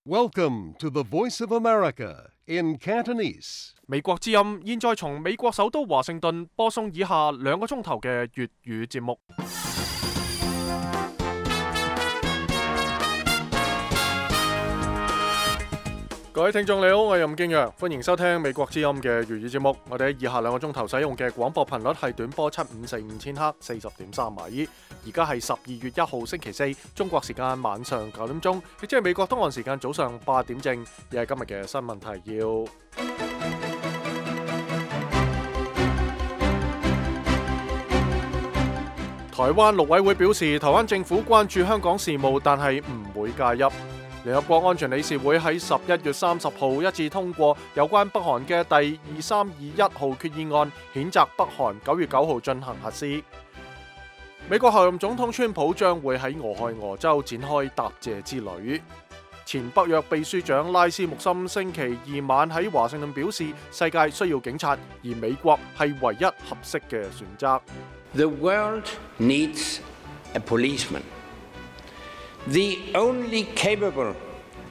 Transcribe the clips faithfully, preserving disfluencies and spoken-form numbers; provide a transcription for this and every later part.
Welcome to the Voice of America in Cantonese. 美國之音現在從美國首都華盛頓播送以下兩個鐘頭嘅粵語節目。各位聽眾你好，我係任敬陽，歡迎收聽美國之音嘅粵語節目。我哋喺以下兩個鐘頭使用嘅廣播頻率係短波七五四五千赫，四十點三米。而家係十二月一號星期四，中國時間晚上九點鐘，亦即係美國東岸時間早上八點正。亦係今日嘅新聞提要。台灣陸委會表示，台灣政府關注香港事務，但係唔會介入。聯合國安全理事會喺十一月三十號一致通過有關北韓嘅第二三二一號決議案，譴責北韓九月九號進行核試。美國候任總統川普將會喺俄亥俄州展開答謝之旅。前北約秘書長拉斯穆森星期二晚喺華盛頓表示，世界需要警察，而美國係唯一合適嘅選擇。The world needs a policeman. The only capable,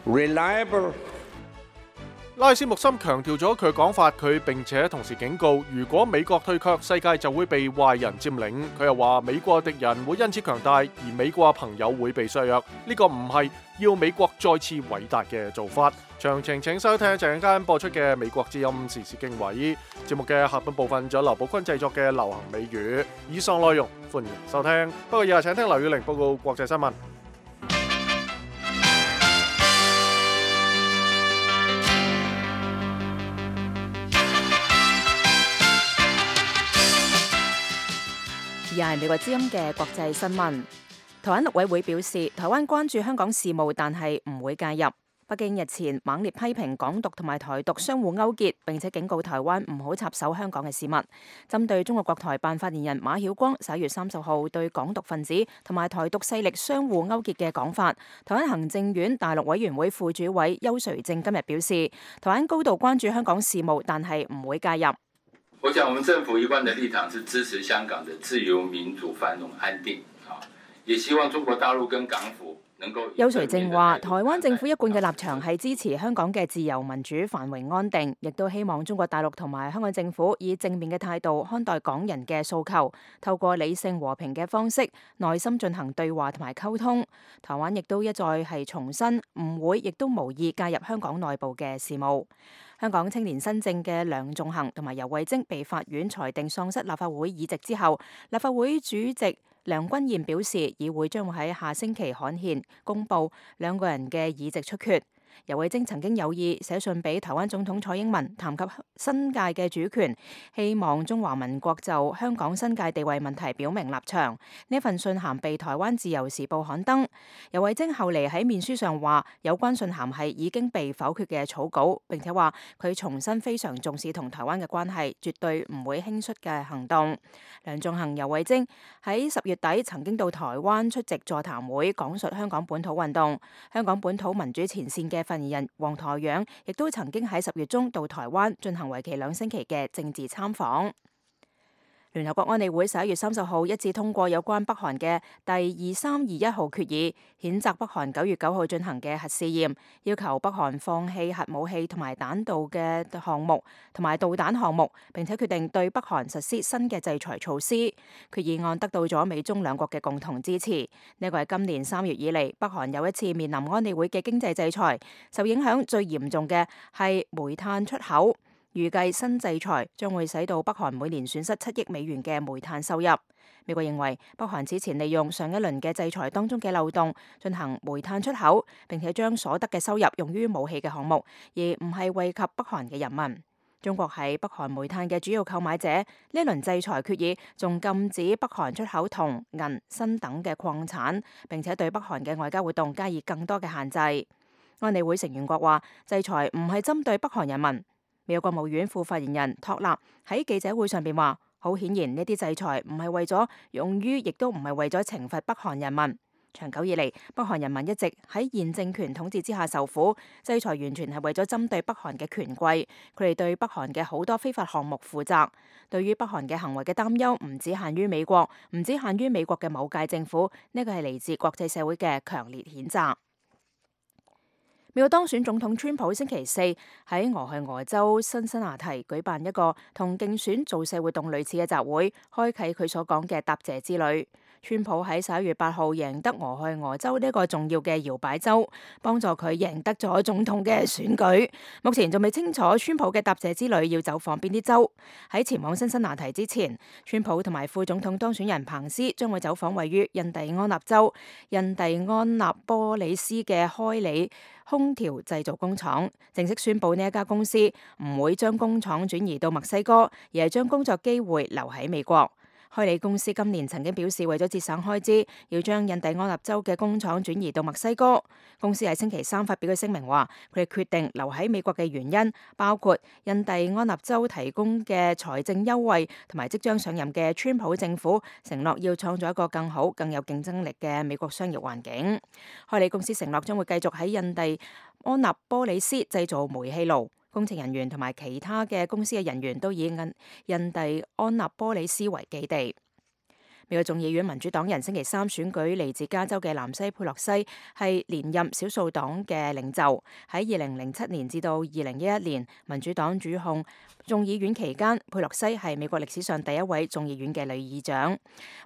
reliable. 拉斯穆森強調咗佢講法，佢並且同時警告，如果美國退卻，世界就會被壞人佔領。佢又話美國敵人會因此強大，而美國朋友會被削弱。呢個唔係要美國再次偉大嘅做法。詳情請收聽陣間播出嘅美國之音時事經緯節目嘅下半部分，仲有劉寶坤製作嘅流行美語。以上內容歡迎收聽。不過以下請聽劉宇玲報告國際新聞。而係美國之音嘅國際新聞。台灣陸委會表示，台灣關注香港事務，但係唔會介入。北京日前猛烈批評港獨同埋台獨相互勾結，並且警告台灣唔好插手香港嘅事務。針對中國國台辦發言人馬曉光十一月三十號對港獨分子同埋台獨勢力相互勾結嘅講法，台灣行政院大陸委員會副主委邱垂正今日表示，台灣高度關注香港事務，但係唔會介入。我想，我們政府一貫的立場是支持香港的自由、民主、繁榮、安定，也希望中國大陸跟港府能夠。邱垂正話，台灣政府一貫嘅立場係支持香港嘅自由、民主、繁榮、安定，亦都希望中國大陸同埋香港政府以正面嘅態度看待港人嘅訴求，透過理性和平嘅方式，耐心進行對話同埋溝通。台灣亦都一再係重申，唔會亦都無意介入香港內部嘅事務。香港青年新政嘅梁頌恆同埋游蕙禎被法院裁定喪失立法會議席之後，立法會主席梁君彥表示，議會將會喺下星期刊憲公佈兩個人嘅議席出缺。游蕙禎曾經有意寫信俾台灣總統蔡英文，談及新界嘅主權，希望中華民國就香港新界地位問題表明立場。呢份信函被台灣自由時報刊登。游蕙禎後嚟喺面書上話，有關信函係已經被否決嘅草稿，並且話佢重新非常重視同台灣嘅關係，絕對唔會輕率嘅行動。梁頌恆、游蕙禎喺十月底曾經到台灣出席座談會，講述香港本土運動。香港本土民主前線嘅發言人黃台仰亦都曾經喺十月中到台灣進行為期兩星期嘅政治參訪。聯合國安理會十一月三十號一致通過有關北韓嘅第二三二一號決議，譴責北韓九月九號進行嘅核試驗，要求北韓放棄核武器同埋彈道嘅項目同埋導彈項目，並且決定對北韓實施新嘅制裁措施。決議案得到咗美中兩國嘅共同支持。呢個係今年三月以嚟北韓又一次面臨安理會嘅經濟制裁，受影響最嚴重嘅係煤炭出口。預計新制裁將會使到北韓每年損失七億美元嘅煤炭收入。美國認為北韓此前利用上一輪嘅制裁當中嘅漏洞進行煤炭出口，並且將所得嘅收入用於武器嘅項目，而唔係惠及北韓嘅人民。中國係北韓煤炭嘅主要購買者，呢一輪制裁決議仲禁止北韓出口銅、銀、鋅等嘅礦產，並且對北韓嘅外交活動加以更多嘅限制。安理會成員國話，制裁唔係針對北韓人民。美國國務院副發言人托納喺記者會上邊話，好顯然呢啲制裁唔係為咗用於，亦都唔係為咗懲罰北韓人民。長久以嚟，北韓人民一直喺現政權統治之下受苦，制裁完全係為咗針對北韓嘅權貴，佢哋對北韓嘅好多非法項目負責。對於北韓嘅行為嘅擔憂唔只限於美國，唔止限於美國嘅某屆政府，呢個係嚟自國際社會嘅強烈譴責。美國當選總統川普星期四喺俄亥俄州辛辛那提舉辦一個同競選造勢活動類似嘅集會，開啟佢所講嘅答謝之旅。川普喺十一月八號贏得俄亥俄州呢一個重要嘅搖擺州，幫助佢贏得咗總統嘅選舉。目前仲未清楚川普嘅答謝之旅要走訪邊啲州。喺前往辛辛那提之前，川普同埋副總統當選人彭斯將會走訪位於印第安納州印第安納波里斯嘅開里空調製造工廠，正式宣布呢一家公司唔會將工廠轉移到墨西哥，而係將工作機會留喺美國。開里公司今年曾經表示，為咗節省開支，要將印第安納州嘅工廠轉移到墨西哥。公司喺星期三發表嘅聲明話，佢哋決定留喺美國嘅原因包括印第安納州提供嘅財政優惠，同埋即將上任嘅川普政府承諾要創造一個更好、更有競爭力嘅美國商業環境。開里公司承諾將會繼續喺印第安納波里斯製造煤氣爐。工程人員同埋其他嘅公司嘅人員都以印印第安納波里斯為基地。美國眾議院民主黨人星期三選舉嚟自加州嘅南西佩洛西係連任少數黨嘅領袖。喺二零零七年至到二零一一年民主黨主控眾議院期間，佩洛西係美國歷史上第一位眾議院嘅女議長。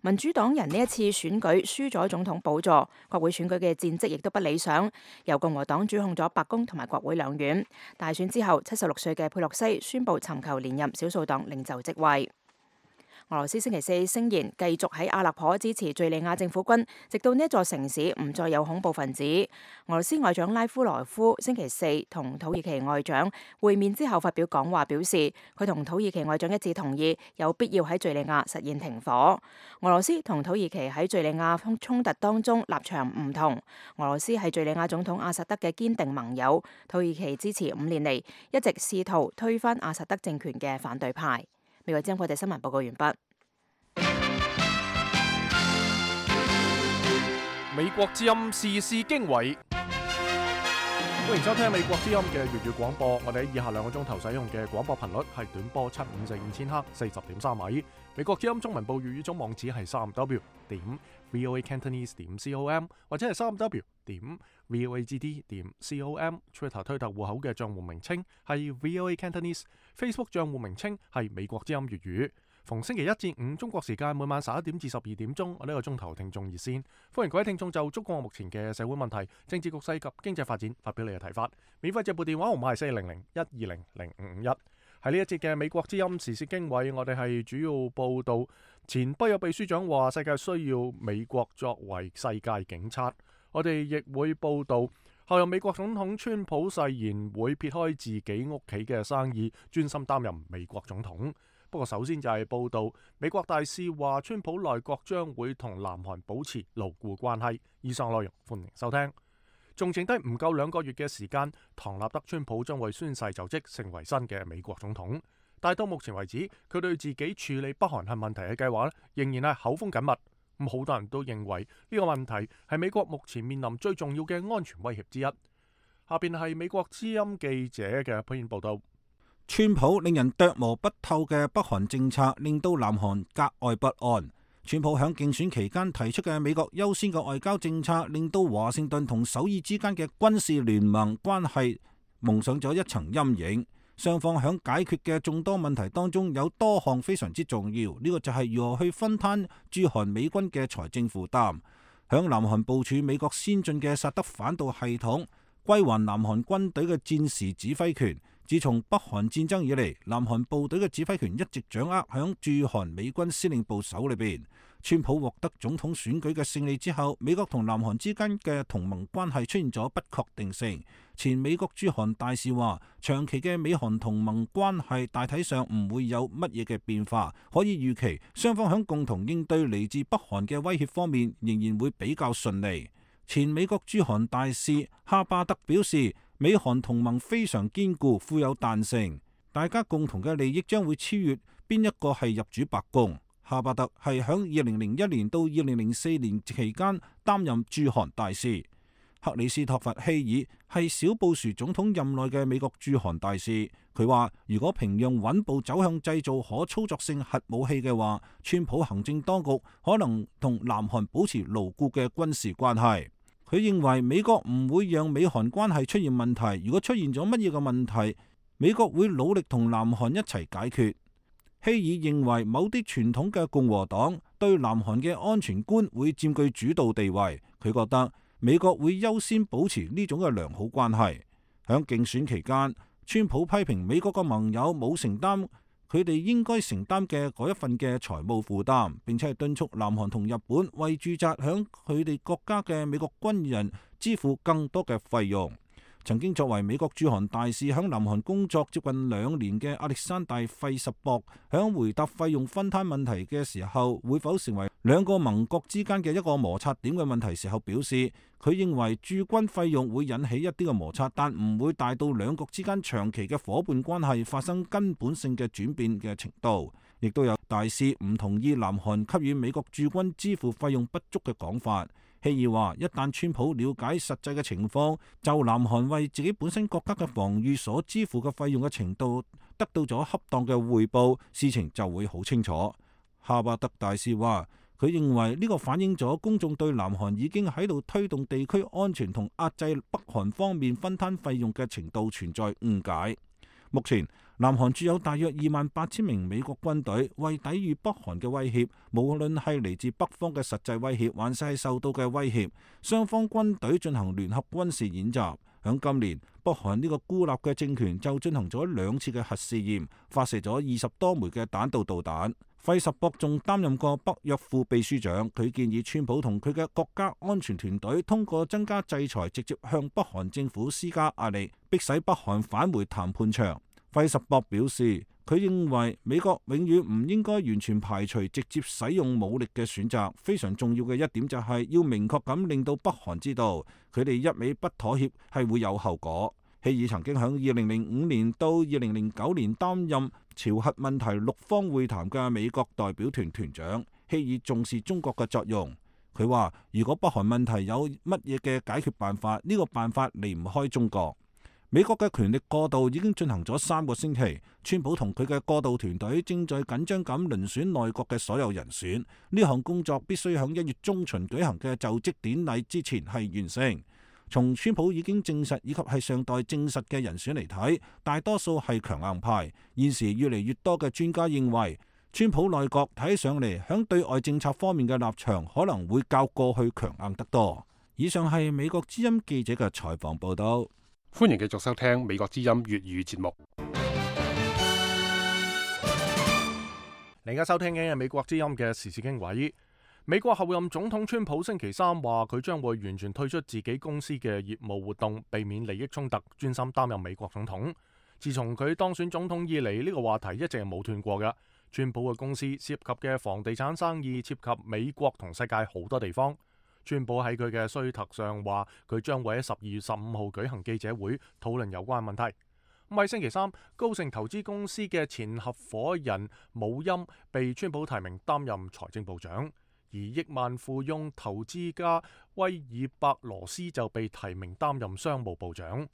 民主黨人呢一次選舉輸咗總統寶座，國會選舉嘅戰績亦都不理想。由共和黨主控咗白宮同埋國會兩院。大選之後，七十六歲嘅佩洛西宣布尋求連任少數黨領袖職位。俄羅斯星期四聲言繼續喺阿勒頗支持敘利亞政府軍，直到呢一座城市唔再有恐怖分子。俄羅斯外長拉夫羅夫星期四同土耳其外長會面之後發表講話，表示佢同土耳其外長一致同意有必要喺敘利亞實現停火。俄羅斯同土耳其喺敘利亞衝突當中立場唔同。俄羅斯係敘利亞總統阿薩德嘅堅定盟友，土耳其支持五年嚟一直試圖推翻阿薩德政權嘅反對派。美國之音國際新聞報告完畢。美國之音時事經緯，歡迎收聽美國之音嘅粵語廣播。我哋喺以下兩個鐘頭使用嘅廣播頻率係短波七五四五千赫四十點三米。美國之音中文部粵語總網址係三 w 點 voacantonese 點 com 或者係三 w 點 voagd 點 com。Twitter 推特戶口嘅賬戶名稱係 voacantonese，Facebook 賬戶名稱係美國之音粵語。逢星期一至五中國時間每晚十一點至十二點鐘，我呢個鐘頭聽眾熱線，歡迎各位聽眾就中國目前嘅社會問題、政治局勢及經濟發展發表你嘅睇法。免費接撥電話號碼係四零零一二零零五五一。喺呢一節嘅美國之音時事經緯，我哋係主要報道前北約秘書長話世界需要美國作為世界警察。我哋亦會報道後任美國總統川普誓言會撇開自己屋企嘅生意，專心擔任美國總統。不過首先就係報道美國大使話川普內閣將會同南韓保持牢固關係。以上內容歡迎收聽。仲剩低唔夠兩個月嘅時間，唐納德川普將會宣誓就職成為新嘅美國總統。但到目前為止，佢對自己處理北韓核問題嘅計劃仍然係口風緊密。咁好多人都認為呢個問題係美國目前面臨最重要嘅安全威脅之一。下邊係美國之音記者嘅篇報道。川普令人琢磨不透嘅北韓政策令到南韓格外不安。川普響競選期間提出嘅美國優先嘅外交政策，令到華盛頓同首爾之間嘅軍事聯盟關係蒙上咗一層陰影。雙方響解決嘅眾多問題當中，有多項非常之重要。呢、這個就係如何去分攤駐韓美軍嘅財政負擔，響南韓部署美國先進嘅薩德反導系統，歸還南韓軍隊嘅戰時指揮權。自從北韓戰爭以嚟，南韓部隊嘅指揮權一直掌握響駐韓美軍司令部手裏邊。川普獲得總統選舉嘅勝利之後，美國同南韓之間嘅同盟關係出現咗不確定性。前美國駐韓大使話，長期嘅美韓同盟關係大體上唔會有乜嘢嘅變化，可以預期雙方響共同應對嚟自北韓嘅威脅方面仍然會比較順利。前美國駐韓大使哈巴德表示，美韓同盟非常堅固，富有彈性，大家共同嘅利益將會超越邊一個係入主白宮。哈巴德係響二零零一年到二零零四年期間擔任駐韓大使。克里斯托弗希爾係小布殊總統任內嘅美國駐韓大使，佢話如果平壤穩步走向製造可操作性核武器嘅話，川普行政當局可能同南韓保持牢固嘅軍事關係。佢認為美國唔會讓美韓關係出現問題，如果出現咗乜嘢嘅問題，美國會努力同南韓一齊解決。希爾認為某啲傳統嘅共和黨對南韓嘅安全觀會佔據主導地位，佢覺得美國會優先保持呢種嘅良好關係。響競選期間，川普批評美國嘅盟友冇承擔佢哋應該承擔嘅嗰一份嘅財務負擔，並且係敦促南韓同日本為駐紮響佢哋國家嘅美國軍人支付更多嘅費用。曾經作為美國駐韓大使響南韓工作接近兩年嘅亞歷山大費什博，響回答費用分攤問題嘅時候，會否成為兩個盟國之間嘅一個摩擦點嘅問題時候表示，佢認為駐軍費用會引起一啲嘅摩擦，但唔會大到兩國之間長期嘅夥伴關係發生根本性嘅轉變嘅程度。亦都有大使唔同意南韓給予美國駐軍支付費用不足嘅講法。希爾話：一旦川普了解實際嘅情況，就南韓為自己本身國家嘅防禦所支付嘅費用嘅程度得到咗恰當嘅匯報，事情就會好清楚。哈巴德大使話：佢認為呢個反映咗公眾對南韓已經喺度推動地區安全同壓制北韓方面分攤費用嘅程度存在誤解。目前南韓駐有大約二萬八千名美國軍隊，為抵禦北韓嘅威脅，無論係嚟自北方嘅實際威脅，還是係受到嘅威脅，雙方軍隊進行聯合軍事演習。響今年，北韓呢個孤立嘅政權就進行咗兩次嘅核試驗，發射咗二十多枚嘅彈道導彈。費什博仲擔任過北約副秘書長，佢建議川普同佢嘅國家安全團隊通過增加制裁，直接向北韓政府施加壓力，迫使北韓返回談判場。費什博表示，佢認為美國永遠唔應該完全排除直接使用武力嘅選擇。非常重要嘅一點就係要明確咁令到北韓知道，佢哋一味不妥協係會有後果。希爾曾經喺二零零五年到二零零九年擔任朝核問題六方會談嘅美國代表團團長。希爾重視中國嘅作用，佢話如果北韓問題有乜嘢嘅解決辦法，呢個辦法離唔開中國。美國嘅權力過渡已經進行咗三個星期，川普同佢嘅過渡團隊正在緊張咁遴選內閣嘅所有人選，呢項工作必須喺一月中旬舉行嘅就職典禮之前係完成。從川普已經證實以及係尚待證實嘅人選嚟睇，大多數係強硬派。現時越嚟越多嘅專家認為，川普內閣睇上嚟響對外政策方面嘅立場可能會較過去強硬得多。以上係美國之音記者嘅採訪報道。歡迎繼續收聽美國之音粵語節目。你而家收聽嘅係美國之音嘅時事經緯。美國候任總統川普星期三話，佢將會完全退出自己公司嘅業務活動，避免利益衝突，專心擔任美國總統。自從佢當選總統以嚟，呢個話題一直係冇斷過嘅。川普嘅公司涉及嘅房地產生意涉及美國同世界好多地方。川普喺佢嘅推特上話，佢將會喺十二月十五號舉行記者會，討論有關問題。咁喺星期三，高盛投資公司嘅前合夥人姆欽被川普提名擔任財政部長，而億萬富翁投資家威爾伯羅斯就被提名擔任商務部長。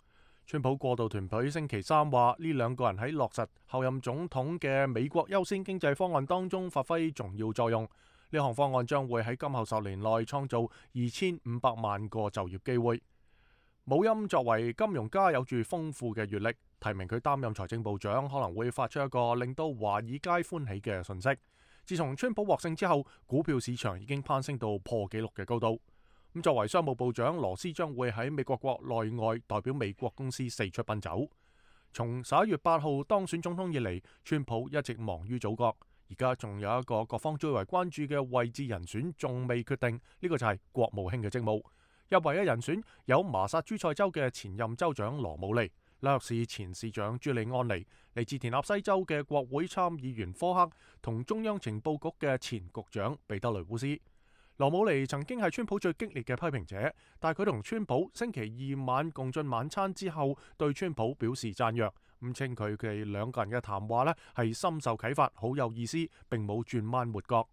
川普過渡團隊星期三話，呢兩個人喺落實候任總統嘅美國優先經濟方案當中發揮重要作用。呢項方案將會喺今後十年內創造二千五百萬個就業機會。姆欽作為金融家，有住豐富嘅閱歷，提名佢擔任財政部長可能會發出一個令到華爾街歡喜嘅訊息。自從川普獲勝之後，股票市場已經攀升到破紀錄嘅高度。咁作為商務部長，羅斯將會喺美國國內外代表美國公司四出奔走。從十一月八號當選總統以嚟，川普一直忙於組閣。而家仲有一個各方最為關注嘅位置人選仲未決定，呢個就係國務卿嘅職務。入圍嘅人選有麻薩諸塞州嘅前任州長羅姆尼、紐約市前市長朱利安尼、嚟自田納西州嘅國會參議員科克同中央情報局嘅前局長彼得雷烏斯。羅姆尼曾經係川普最激烈嘅批評者，但係佢同川普星期二晚共進晚餐之後，對川普表示讚揚。咁稱佢哋兩個人嘅談話呢係深受啟發，好有意思，並冇轉彎抹角。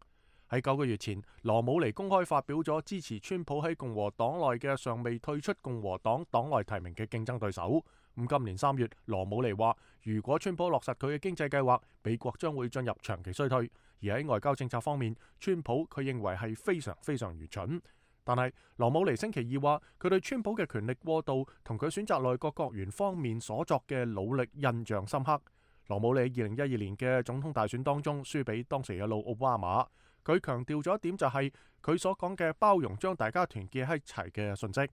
喺九個月前，羅姆尼公開發表咗支持川普喺共和黨內嘅尚未退出共和黨黨內提名嘅競爭對手。咁今年三月，羅姆尼話，如果川普落實佢嘅經濟計劃，美國將會進入長期衰退。而喺外交政策方面，川普佢認為係非常非常愚蠢。但係羅姆尼星期二話，佢對川普嘅權力過度同佢選擇內閣閣員方面所作嘅努力印象深刻。羅姆尼二零一二年嘅總統大選當中輸俾當時嘅老奧巴馬，佢強調咗一點就係佢所講嘅包容將大家團結喺一齊嘅訊息。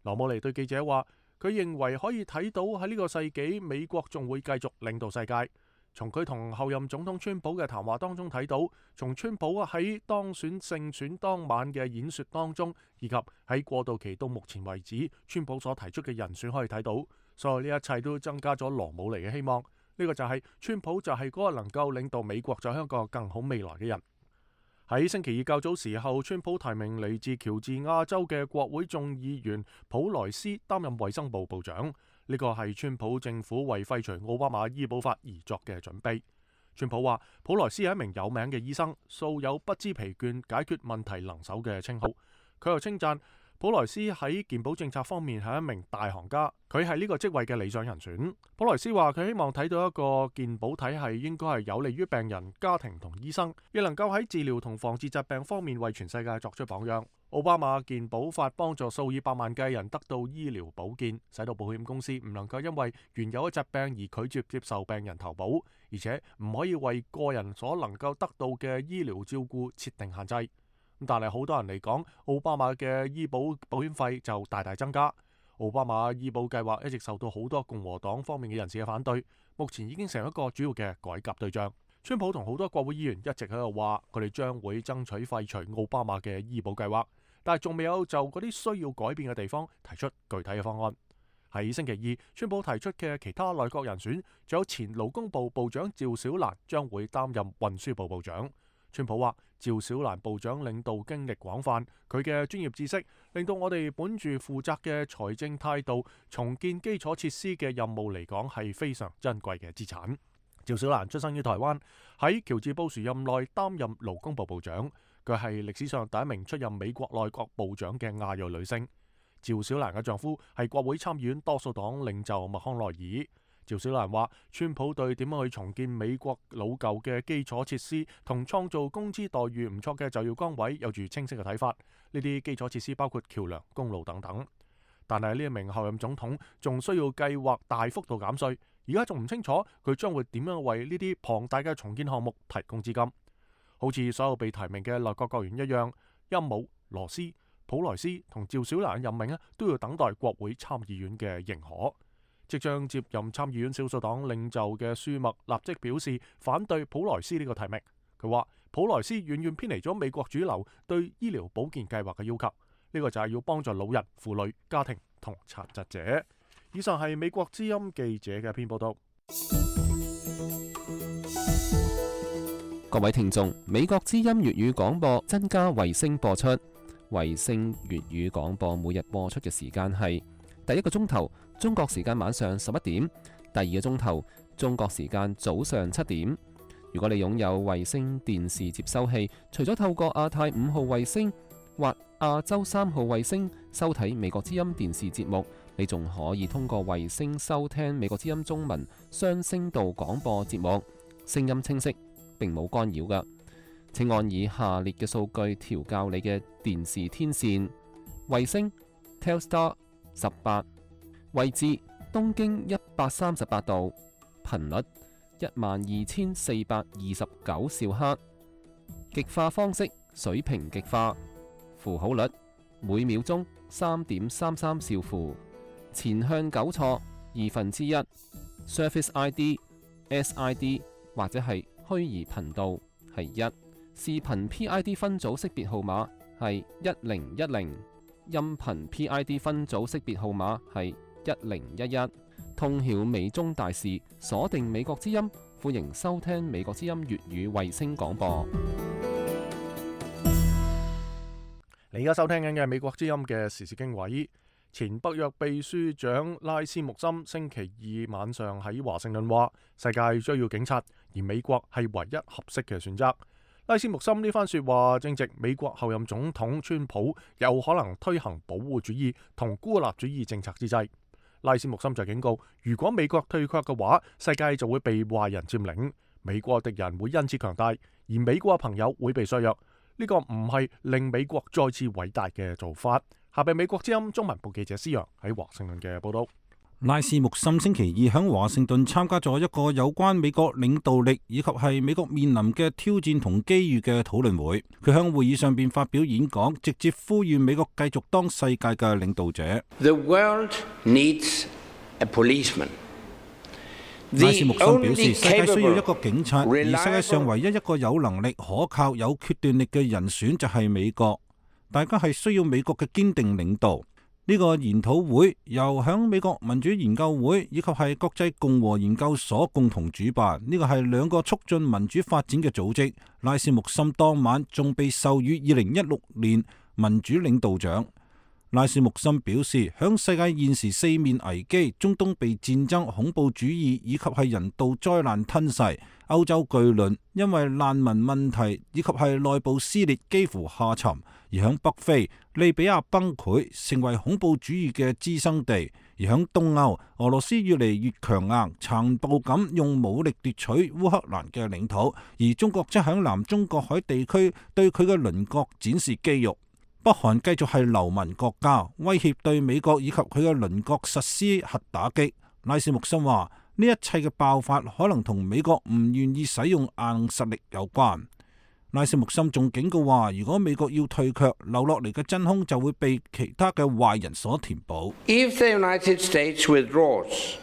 羅姆尼對記者話，佢認為可以睇到喺呢個世紀美國仲會繼續領導世界。從佢同後任總統川普嘅談話當中睇到，從川普喺當選勝選當晚嘅演說當中，以及喺過渡期到目前為止川普所提出嘅人選可以睇到，所有呢一切都增加咗羅姆尼嘅希望。呢個就係川普就係嗰個能夠領導美國走向一個更好未來嘅人。喺星期二較早時候，川普提名嚟自喬治亞州嘅國會眾議員普萊斯擔任衛生部部長。呢個係川普政府為廢除奧巴馬醫保法而作嘅準備。川普話，普萊斯係一名有名嘅醫生，素有不知疲倦解決問題能手嘅稱號。佢又稱讚普萊斯喺健保政策方面係一名大行家，佢係呢個職位嘅理想人選。普萊斯話，佢希望睇到一個健保體系應該係有利於病人、家庭同醫生，亦能夠喺治療同防治疾病方面為全世界作出榜樣。奧巴馬健保法幫助數以百萬計人得到醫療保健，使到保險公司唔能夠因為原有嘅疾病而拒絕接受病人投保，而且唔可以為個人所能夠得到嘅醫療照顧設定限制。但係好多人嚟講，奧巴馬嘅醫保保險費就大大增加。奧巴馬醫保計劃一直受到好多共和黨方面嘅人士嘅反對，目前已經成一個主要嘅改革對象。川普同好多國會議員一直喺度話，佢哋將會爭取廢除奧巴馬嘅醫保計劃，但係仲未有就嗰啲需要改變嘅地方提出具體嘅方案。喺星期二，川普提出嘅其他內閣人選，仲有前勞工部部長趙小蘭將會擔任運輸部部長。川普話，趙小蘭部長領導經歷廣泛，佢嘅專業知識令到我哋本住負責嘅財政態度重建基礎設施嘅任務嚟講係非常珍貴嘅資產。趙小蘭出生於台灣，喺喬治布殊任內擔任勞工部部長，佢係歷史上第一名出任美國內閣部長嘅亞裔女性。趙小蘭嘅丈夫係國會參議院多數黨領袖麥康奈爾。趙小蘭話，川普對點樣去重建美國老舊嘅基礎設施同創造工資待遇唔錯嘅就業崗位有住清晰嘅睇法。呢啲基礎設施包括橋樑、公路等等。但係呢一名候任總統仲需要計劃大幅度減稅，而家仲唔清楚佢將會點樣為呢啲龐大嘅重建項目提供資金。好似所有被提名嘅內閣閣員一樣，欽姆、羅斯、普萊斯同趙小蘭嘅任命咧，都要等待國會參議院嘅認可。即將接任參議院少數黨領袖嘅舒默立即表示反對普萊斯呢個提名。佢話普萊斯遠遠偏離咗美國主流對醫療保健計劃嘅要求，呢個就係要幫助老人、婦女、家庭同殘疾者。以上係美國之音記者嘅一篇報道。各位聽眾，美國之音粵語廣播增加衛星播出，衛星粵語廣播每日播出嘅時間係第一個鐘頭中國時間晚上十一點，第二個鐘頭中國時間早上七點。如果你擁有衛星電視接收器，除咗透過亞太五號衛星或亞洲三號衛星收睇美國之音電視節目，你仲可以通過衛星收聽美國之音中文雙聲道廣播節目，聲音清晰，並冇干擾㗎。請按以下列嘅數據調校你嘅電視天線：衛星 Telstar 十八，位置東經一百三十八度，頻率一萬二千四百二十九兆赫，極化方式水平極化，符號率每秒鐘三點三三兆符，前向糾錯二分之一 ，Service I D S I D 或者係虛擬頻道係一，視頻 P I D 分組識別號碼係一零一零，音頻 P I D 分組識別號碼係一零一一。通曉美中大事，鎖定美國之音，歡迎收聽美國之音粵語衛星廣播。你而家收聽緊嘅美國之音嘅時事經緯，前北約秘書長拉斯穆森星期二晚上喺華盛頓話，世界需要警察，而美國係唯一合適嘅選擇。拉斯穆森呢番說話正值美國後任總統川普有可能推行保護主義同孤立主義政策之際。拉斯穆森就警告，如果美國退卻嘅話，世界就會被壞人佔領，美國敵人會因此強大，而美國嘅朋友會被削弱。呢個唔係令美國再次偉大嘅做法。下邊美國之音中文部記者施洋喺華盛頓嘅報道。拉斯穆森星期二喺華盛頓參加咗一個有關美國領導力以及係美國面臨嘅挑戰同機遇嘅討論會。佢喺會議上邊發表演講，直接呼籲美國繼續當世界嘅領導者。The world needs a policeman. 拉斯穆森表示，世界需要一個警察，而世界上唯一一個有能力、可靠、有決斷力嘅人選就係美國。大家係需要美國嘅堅定領導。呢個研討會由響美國民主研究會以及係國際共和研究所共同主辦，呢個係兩個促進民主發展嘅組織。拉斯穆森當晚仲被授予二零一六年民主領導獎。拉斯穆森表示，響世界現時四面危機，中東被戰爭、恐怖主義以及係人道災難吞噬，歐洲巨輪因為難民問題以及係內部撕裂幾乎下沉，而響北非利比亞崩潰，成為恐怖主義嘅滋生地；而響東歐，俄羅斯越嚟越強硬，殘暴咁用武力奪取烏克蘭嘅領土，而中國則響南中國海地區對佢嘅鄰國展示肌肉。北韓繼續係流氓國家，威脅對美國以及佢嘅鄰國實施核打擊。拉斯穆森話：呢一切嘅爆發可能同美國唔願意使用硬實力有關。拉斯穆森仲警告話：如果美國要退卻，留落嚟嘅真空就會被其他嘅壞人所填補。If the United States withdraws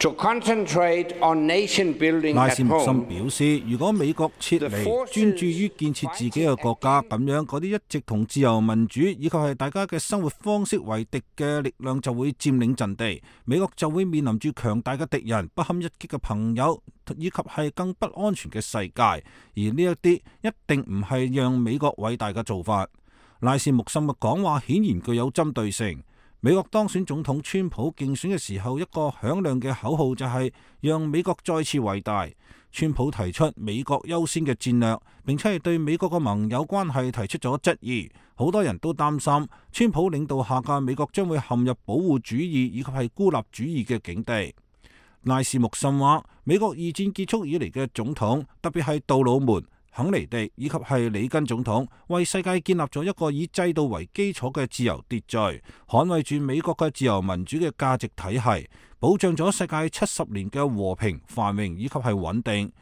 to concentrate on nation building at home， 拉斯穆森表示，如果美國撤離，專注於建設自己嘅國家，咁樣嗰啲一直同自由民主以及係大家嘅生活方式為敵嘅力量就會佔領陣地，美國就會面臨住強大嘅敵人、不堪一擊嘅朋友以及係更不安全嘅世界，而呢一啲一定唔係讓美國偉大嘅做法。拉斯穆森嘅講話顯然具有針對性。美國當選總統川普競選嘅時候，一個響亮嘅口號就係讓美國再次偉大。川普提出美國優先嘅戰略，並且係對美國嘅盟友關係提出咗質疑。好多人都擔心川普領導下嘅美國將會陷入保護主義以及係孤立主義嘅境地。拉斯穆森話：美國二戰結束以嚟嘅總統，特別係杜魯門、肯尼迪以及係里根總統，為世界建立咗一個以制度為基礎嘅自由秩序，捍衛住美國嘅自由民主嘅價值體系，保障咗世界七十年嘅和平繁榮以及係穩定。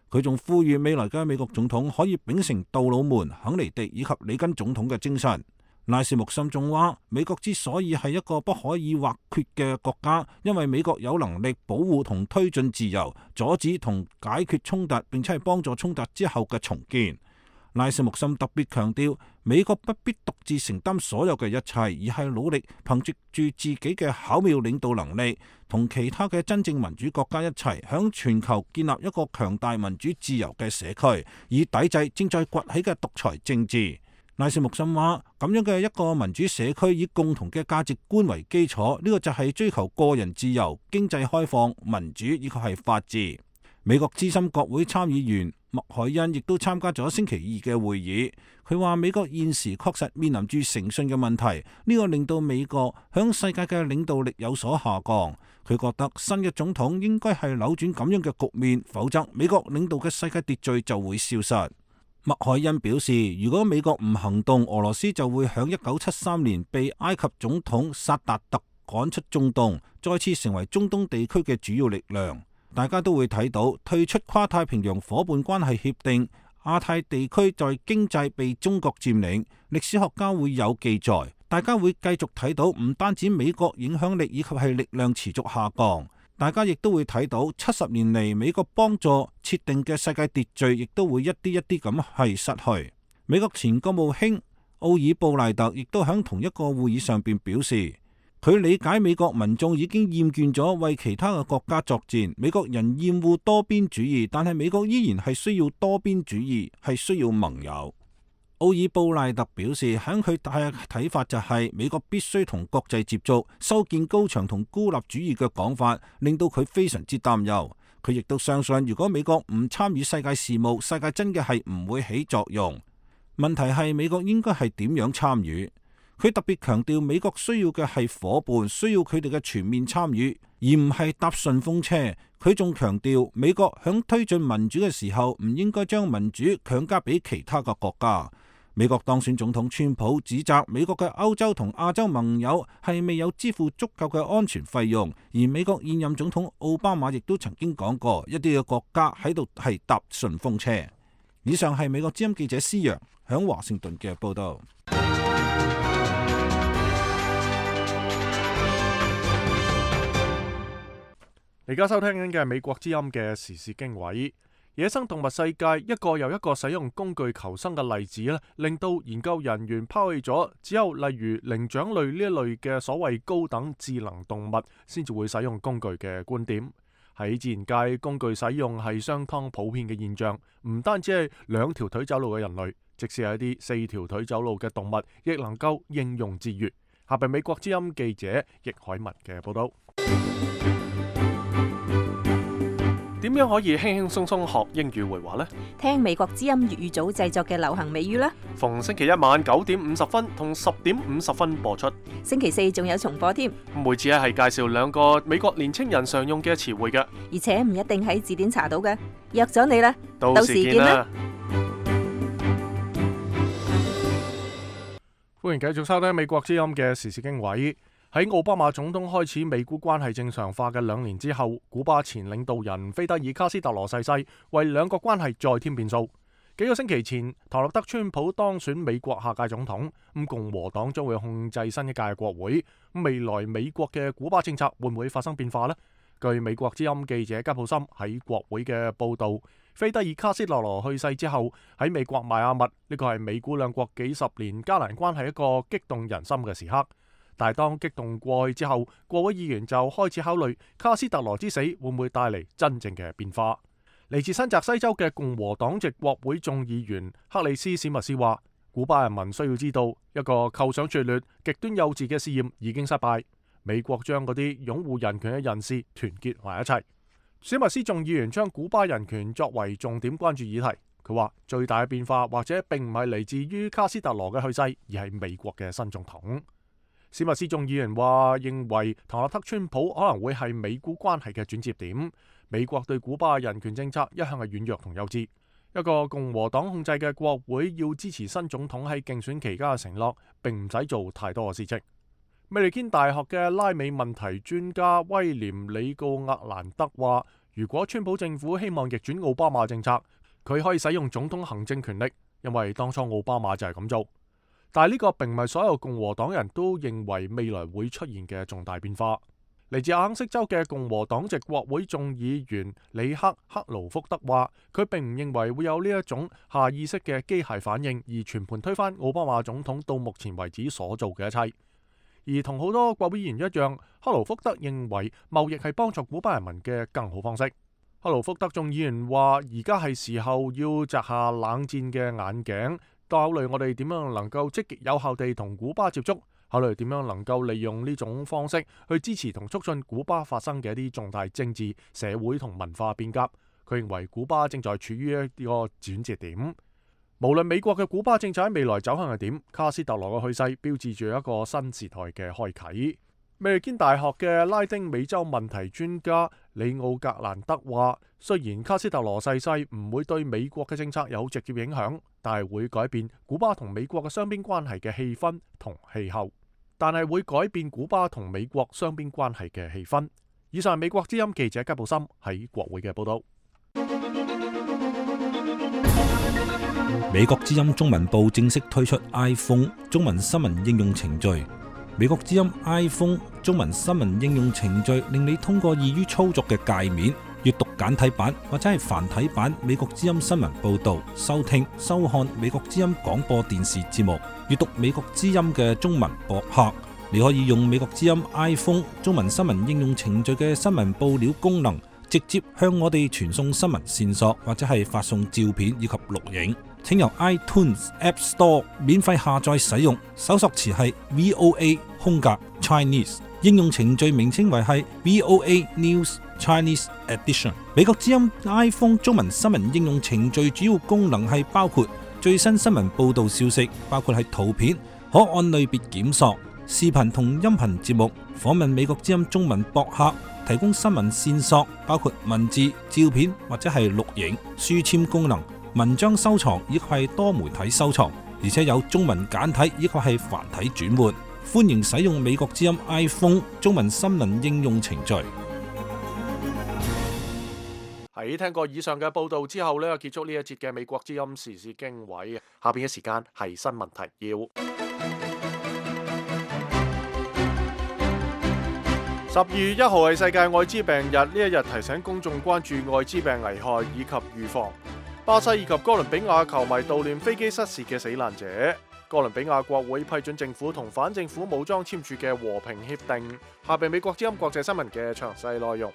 佢仲呼籲未來嘅美國總統可以秉承杜魯門、肯尼迪以及里根總統嘅精神。拉斯穆森仲話：美國之所以係一個不可以或缺嘅國家，因為美國有能力保護同推進自由，阻止同解決衝突，並且係幫助衝突之後嘅重建。拉斯穆森特別強調，美國不必獨自承擔所有嘅一切，而係努力憑藉住自己嘅巧妙領導能力，同其他嘅真正民主國家一齊，響全球建立一個強大民主自由嘅社區，以抵制正在崛起嘅獨裁政治。拉斯穆森話：咁樣嘅一個民主社區以共同嘅價值觀為基礎，呢個就係追求個人自由、經濟開放、民主以及係法治。美國資深國會參議員麥凱恩亦都參加咗星期二嘅會議。佢話美國現時確實面臨住誠信嘅問題，呢個令到美國響世界嘅領導力有所下降。佢覺得新嘅總統應該係扭轉咁樣嘅局面，否則美國領導嘅世界秩序就會消失。麥凱恩表示，如果美國唔行動，俄羅斯就會響一九七三年被埃及總統薩達特趕出中東，再次成為中東地區嘅主要力量。大家都會睇到退出跨太平洋夥伴關係協定，亞太地區在經濟被中國佔領，歷史學家會有記載。大家會繼續睇到唔單止美國影響力以及係力量持續下降。大家亦都會睇到七十年嚟美國幫助設定嘅世界秩序，亦都會一啲一啲咁係失去。美國前國務卿奧爾布賴特亦都喺同一個會議上邊表示，佢理解美國民眾已經厭倦咗為其他嘅國家作戰，美國人厭惡多邊主義，但係美國依然係需要多邊主義，係需要盟友。奧爾布賴特表示，喺佢嘅睇法就係美國必須同國際接觸，修建高牆同孤立主義嘅講法，令到佢非常之擔憂。佢亦都相信，如果美國唔參與世界事務，世界真嘅係唔會起作用。問題係美國應該係點樣參與？佢特別強調，美國需要嘅係夥伴，需要佢哋嘅全面參與，而唔係搭順風車。佢仲強調，美國響推進民主嘅時候，唔應該將民主強加俾其他嘅國家。美國當選總統川普指責美國嘅歐洲同亞洲盟友係未有支付足夠嘅安全費用，而美國現任總統奧巴馬亦都曾經講過，一啲嘅國家喺度係搭順風車。以上係美國之音記者施洋響華盛頓嘅報道。而家收聽緊嘅係美國之音嘅時事經緯。野生動物世界一個又一個使用工具求生嘅例子咧，令到研究人員拋棄咗只有例如靈長類呢一類嘅所謂高等智能動物先至會使用工具嘅觀點。喺自然界，工具使用係相當普遍嘅現象，唔單止係兩條腿走路嘅人類，即使係一啲四條腿走路嘅動物，亦能夠應用自如。下邊美國之音記者易海文嘅報道。點樣可以輕輕鬆鬆學英語會話呢？聽美國之音粵語組製作嘅流行美語啦。逢星期一晚九點五十分同十點五十分播出。星期四仲有重播添。每次係介紹兩個美國年青人常用嘅詞彙嘅，而且唔一定喺字典查到嘅。約咗你啦，到時見啦。歡迎繼續收聽美國之音嘅時事經緯。喺奧巴馬總統開始美古關係正常化嘅兩年之後，古巴前領導人菲德爾卡斯特羅逝世，為兩國關係再添變數。幾個星期前，唐納德川普當選美國下屆總統，咁共和黨將會控制新一屆國會。未來美國嘅古巴政策會唔會發生變化呢？據美國之音記者吉普森喺國會嘅報道，菲德爾卡斯特羅去世之後，喺美國邁阿密，呢個係美古兩國幾十年加難關係一個激動人心嘅時刻。但係當激動過去之後，國會議員就開始考慮卡斯特羅之死會唔會帶嚟真正嘅變化。嚟自新澤西州嘅共和黨籍國會眾議員克里斯史密斯話，古巴人民需要知道，一個構想拙劣、極端幼稚嘅試驗已經失敗。美國將嗰啲擁護人權嘅人士團結埋一齊。史密斯眾議員將古巴人權作為重點關注議題。佢話最大嘅變化或者並唔係嚟自於卡斯特羅嘅去世，而係美國嘅新總統。史密斯眾議員話，認為唐納德川普可能會係美古關係嘅轉折點。美國對古巴人權政策一向係軟弱同幼稚。一個共和黨控制嘅國會要支持新總統喺競選期間嘅承諾，並唔使做太多嘅事情。美利堅大學嘅拉美問題專家威廉里告厄蘭德話，如果川普政府希望逆轉奧巴馬政策，佢可以使用總統行政權力，因為當初奧巴馬就係咁做。但係呢個並唔係所有共和黨人都認為未來會出現嘅重大變化。嚟自阿肯色州嘅共和黨籍國會眾議員里克克勞福德話，佢並唔認為會有呢一種下意識嘅機械反應，而全盤推翻奧巴馬總統到目前為止所做嘅一切。而同好多國會議員一樣，克勞福德認為貿易係幫助古巴人民嘅更好方式。克勞福德眾議員話，而家係時候要摘下冷戰嘅眼鏡，考慮我哋點樣能夠積極有效地同古巴接觸，考慮點樣能夠利用呢種方式去支持同促進古巴發生嘅一啲重大政治、社會同文化變革。佢認為古巴正在處於一個轉折點。無論美國嘅古巴政策喺未來走向係點，卡斯特羅嘅去世標誌住一個新時代嘅開啟。美利堅大學嘅拉丁美洲問題專家里奧格蘭德話，雖然卡斯特羅逝世唔會對美國嘅政策有直接影響，但係會改變古巴同美國嘅雙邊關係嘅氣氛同氣候。但係會改變古巴同美國雙邊關係嘅氣氛。以上係美國之音記者吉布森喺國會嘅報道。美國之音中文部正式推出 iPhone 中文新聞應用程序。美國之音 iPhone 中文新聞應用程序令你通過易於操作嘅界面，閱讀簡體版或者係繁體版美國之音新聞報道，收聽收看美國之音廣播電視節目，閱讀美國之音嘅中文博客。你可以用美國之音 iPhone 中文新聞應用程序嘅新聞報料功能，直接向我哋傳送新聞線索，或者係發送照片以及錄影。請由 iTunes App Store 免費下載使用，搜索詞係 V O A 空格 Chinese， 應用程序名稱為係 V O A News Chinese Edition。 美國之音 iPhone 中文新聞應用程序主要功能係包括最新新聞報道消息，包括係圖片，可按類別檢索，視頻同音頻節目，訪問美國之音中文博客，提供新聞線索，包括文字、照片或者係錄影，書籤功能，文章收藏以及係多媒體收藏，而且有中文簡體以及係繁體轉換。歡迎使用美國之音 iPhone 中文新聞應用程序。喺聽過以上嘅報道之後呢，結束呢一節嘅美國之音時事經緯。下邊嘅時間係新聞提要。十二月一號係世界艾滋病日，呢一日提醒公眾關注艾滋病危害以及預防。巴西以及哥倫比亞球迷悼念飛機失事嘅死難者。哥倫比亞國會批准政府同反政府武裝簽署嘅和平協定。下邊美國之音國際新聞嘅詳細內容。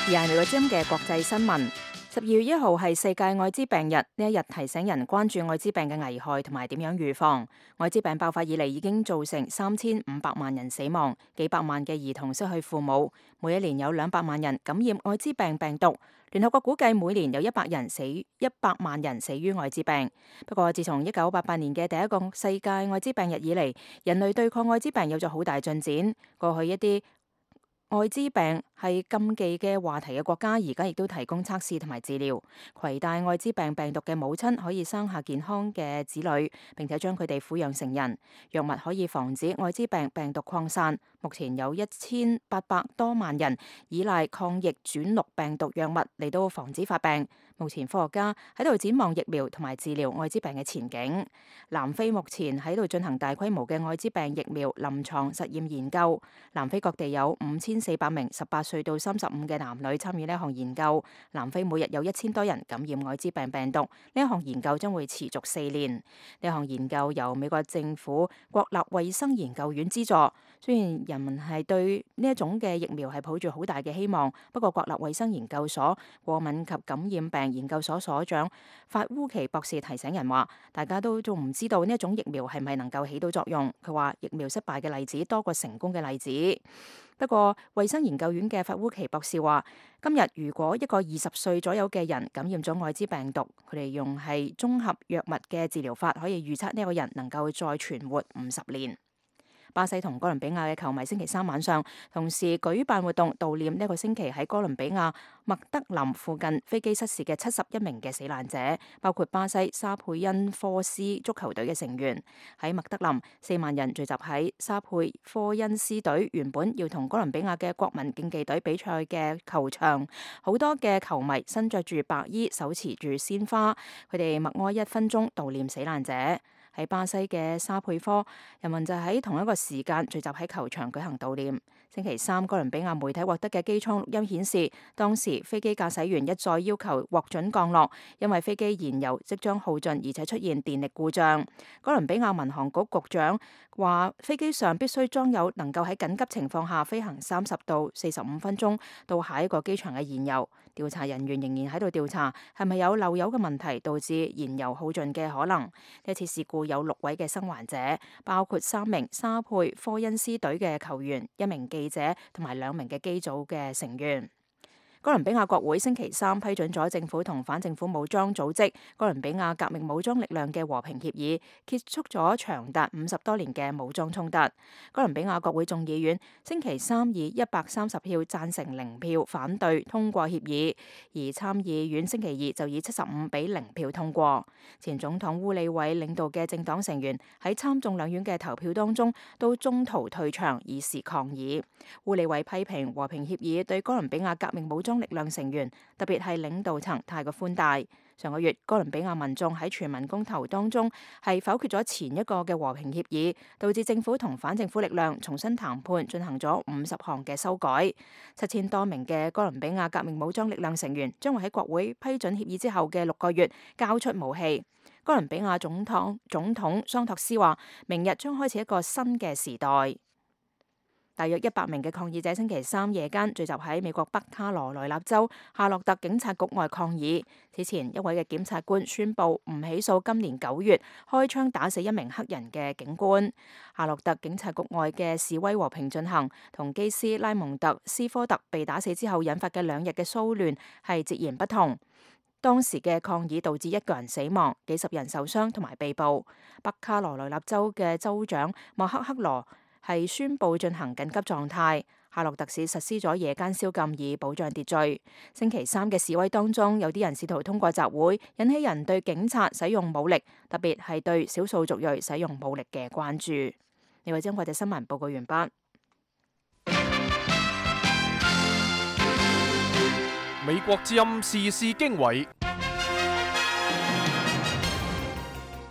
而係美國之音嘅國際新聞。十二月一號係世界艾滋病日，呢一日提醒人關注艾滋病嘅危害同埋點樣預防。艾滋病爆發以嚟已經造成三千五百萬人死亡，幾百萬嘅兒童失去父母，每一年有兩百萬人感染艾滋病病毒。聯合國估計每年有一百人死，一百萬人死於艾滋病。不過自從一九八八年嘅第一個世界艾滋病日以嚟，人類對抗艾滋病有咗好大進展。過去一啲艾滋病係禁忌嘅話題嘅國家，而家亦都提供測試同埋治療。攜帶艾滋病病毒嘅母親可以生下健康嘅子女，並且將佢哋撫養成人。藥物可以防止艾滋病病毒擴散。目前有一千八百多萬人依賴抗逆轉錄病毒藥物嚟到防止發病。目前科學家喺度展望疫苗同埋治療艾滋病嘅前景。南非目前喺度進行大規模嘅艾滋病疫苗臨床實驗研究。南非各地有五千四百名十八歲到三十五嘅男女參與呢一項研究。南非每日有一千多人感染艾滋病病毒。呢一項研究將會持續四年。呢一項研究由美國政府國立衛生研究院資助。雖然人民係對呢一種嘅疫苗係抱住好大嘅希望，不過國立衛生研究所過敏及感染病研究所所長法烏奇博士提醒人話，大家都仲唔知道呢一種疫苗係咪能夠起到作用。佢話疫苗失敗嘅例子多過成功嘅例子。不過衛生研究院嘅法烏奇博士話，今日如果一個二十歲左右嘅人感染咗艾滋病毒，佢哋用係綜合藥物嘅治療法，可以預測呢一個人能夠再存活五十年。巴西同哥倫比亞嘅球迷星期三晚上同時舉辦活動悼念呢個星期喺哥倫比亞麥德林附近飛機失事嘅七十一名嘅死難者，包括巴西沙佩恩科斯足球隊嘅成員。喺麥德林，四萬人聚集喺沙佩科恩斯隊原本要同哥倫比亞嘅國民競技隊比賽嘅球場，好多嘅球迷身着住白衣，手持住鮮花，佢哋默哀一分鐘悼念死難者。喺巴西嘅沙佩科，人民就喺同一個時間聚集喺球場舉行悼念。星期三，哥倫比亞媒體獲得嘅機艙錄音顯示，當時飛機駕駛員一再要求獲准降落，因為飛機燃油即將耗盡，而且出現電力故障。哥倫比亞民航局局長話，飛機上必須裝有能夠喺緊急情況下飛行三十到四十五分鐘到下一個機場嘅燃油。調查人員仍然喺度調查係咪有漏油嘅問題導致燃油耗盡嘅可能。呢一次事故有六位嘅生還者，包括三名沙佩科恩斯隊嘅球員、一名記者同埋兩名嘅機組嘅成員。哥倫比亞國會星期三批准咗政府同反政府武裝組織哥倫比亞革命武裝力量嘅和平協議，結束咗長達五十多年嘅武裝衝突。哥倫比亞國會眾議院星期三以一百三十票贊成零票反對通過協議，而參議院星期二就以七十五比零票通過。前總統烏里偉領導嘅政黨成員喺參眾兩院嘅投票當中都中途退場以示抗議。烏里偉批評和平協議對哥倫比亞革命武裝力量成員，特別係領導層太過寬大。上個月，哥倫比亞民眾喺全民公投當中係否決咗前一個嘅和平協議，導致政府同反政府力量重新談判，進行咗五十項嘅修改。七千多名嘅哥倫比亞革命武裝力量成員將會喺國會批准協議之後嘅六個月交出武器。哥倫比亞總統總統桑托斯話，明日將開始一個新嘅時代。大約一百名嘅抗議者星期三夜間聚集喺美國北卡羅來納州夏洛特警察局外抗議。此前一位嘅檢察官宣布唔起訴今年九月開槍打死一名黑人嘅警官。夏洛特警察局外嘅示威和平進行，同基斯拉蒙特斯科特被打死之後引發嘅兩日嘅騷亂係截然不同。當時嘅抗議導致一個人死亡，幾十人受傷同埋被捕。北卡羅來納州嘅州長莫克克羅係宣布進行緊急狀態。夏洛特市實施咗夜間宵禁以保障秩序。星期三嘅示威當中，有啲人試圖通過集會引起人對警察使用武力，特別係對少數族裔使用武力嘅關注。呢位將國際新聞報告完畢。美國之音時事經緯。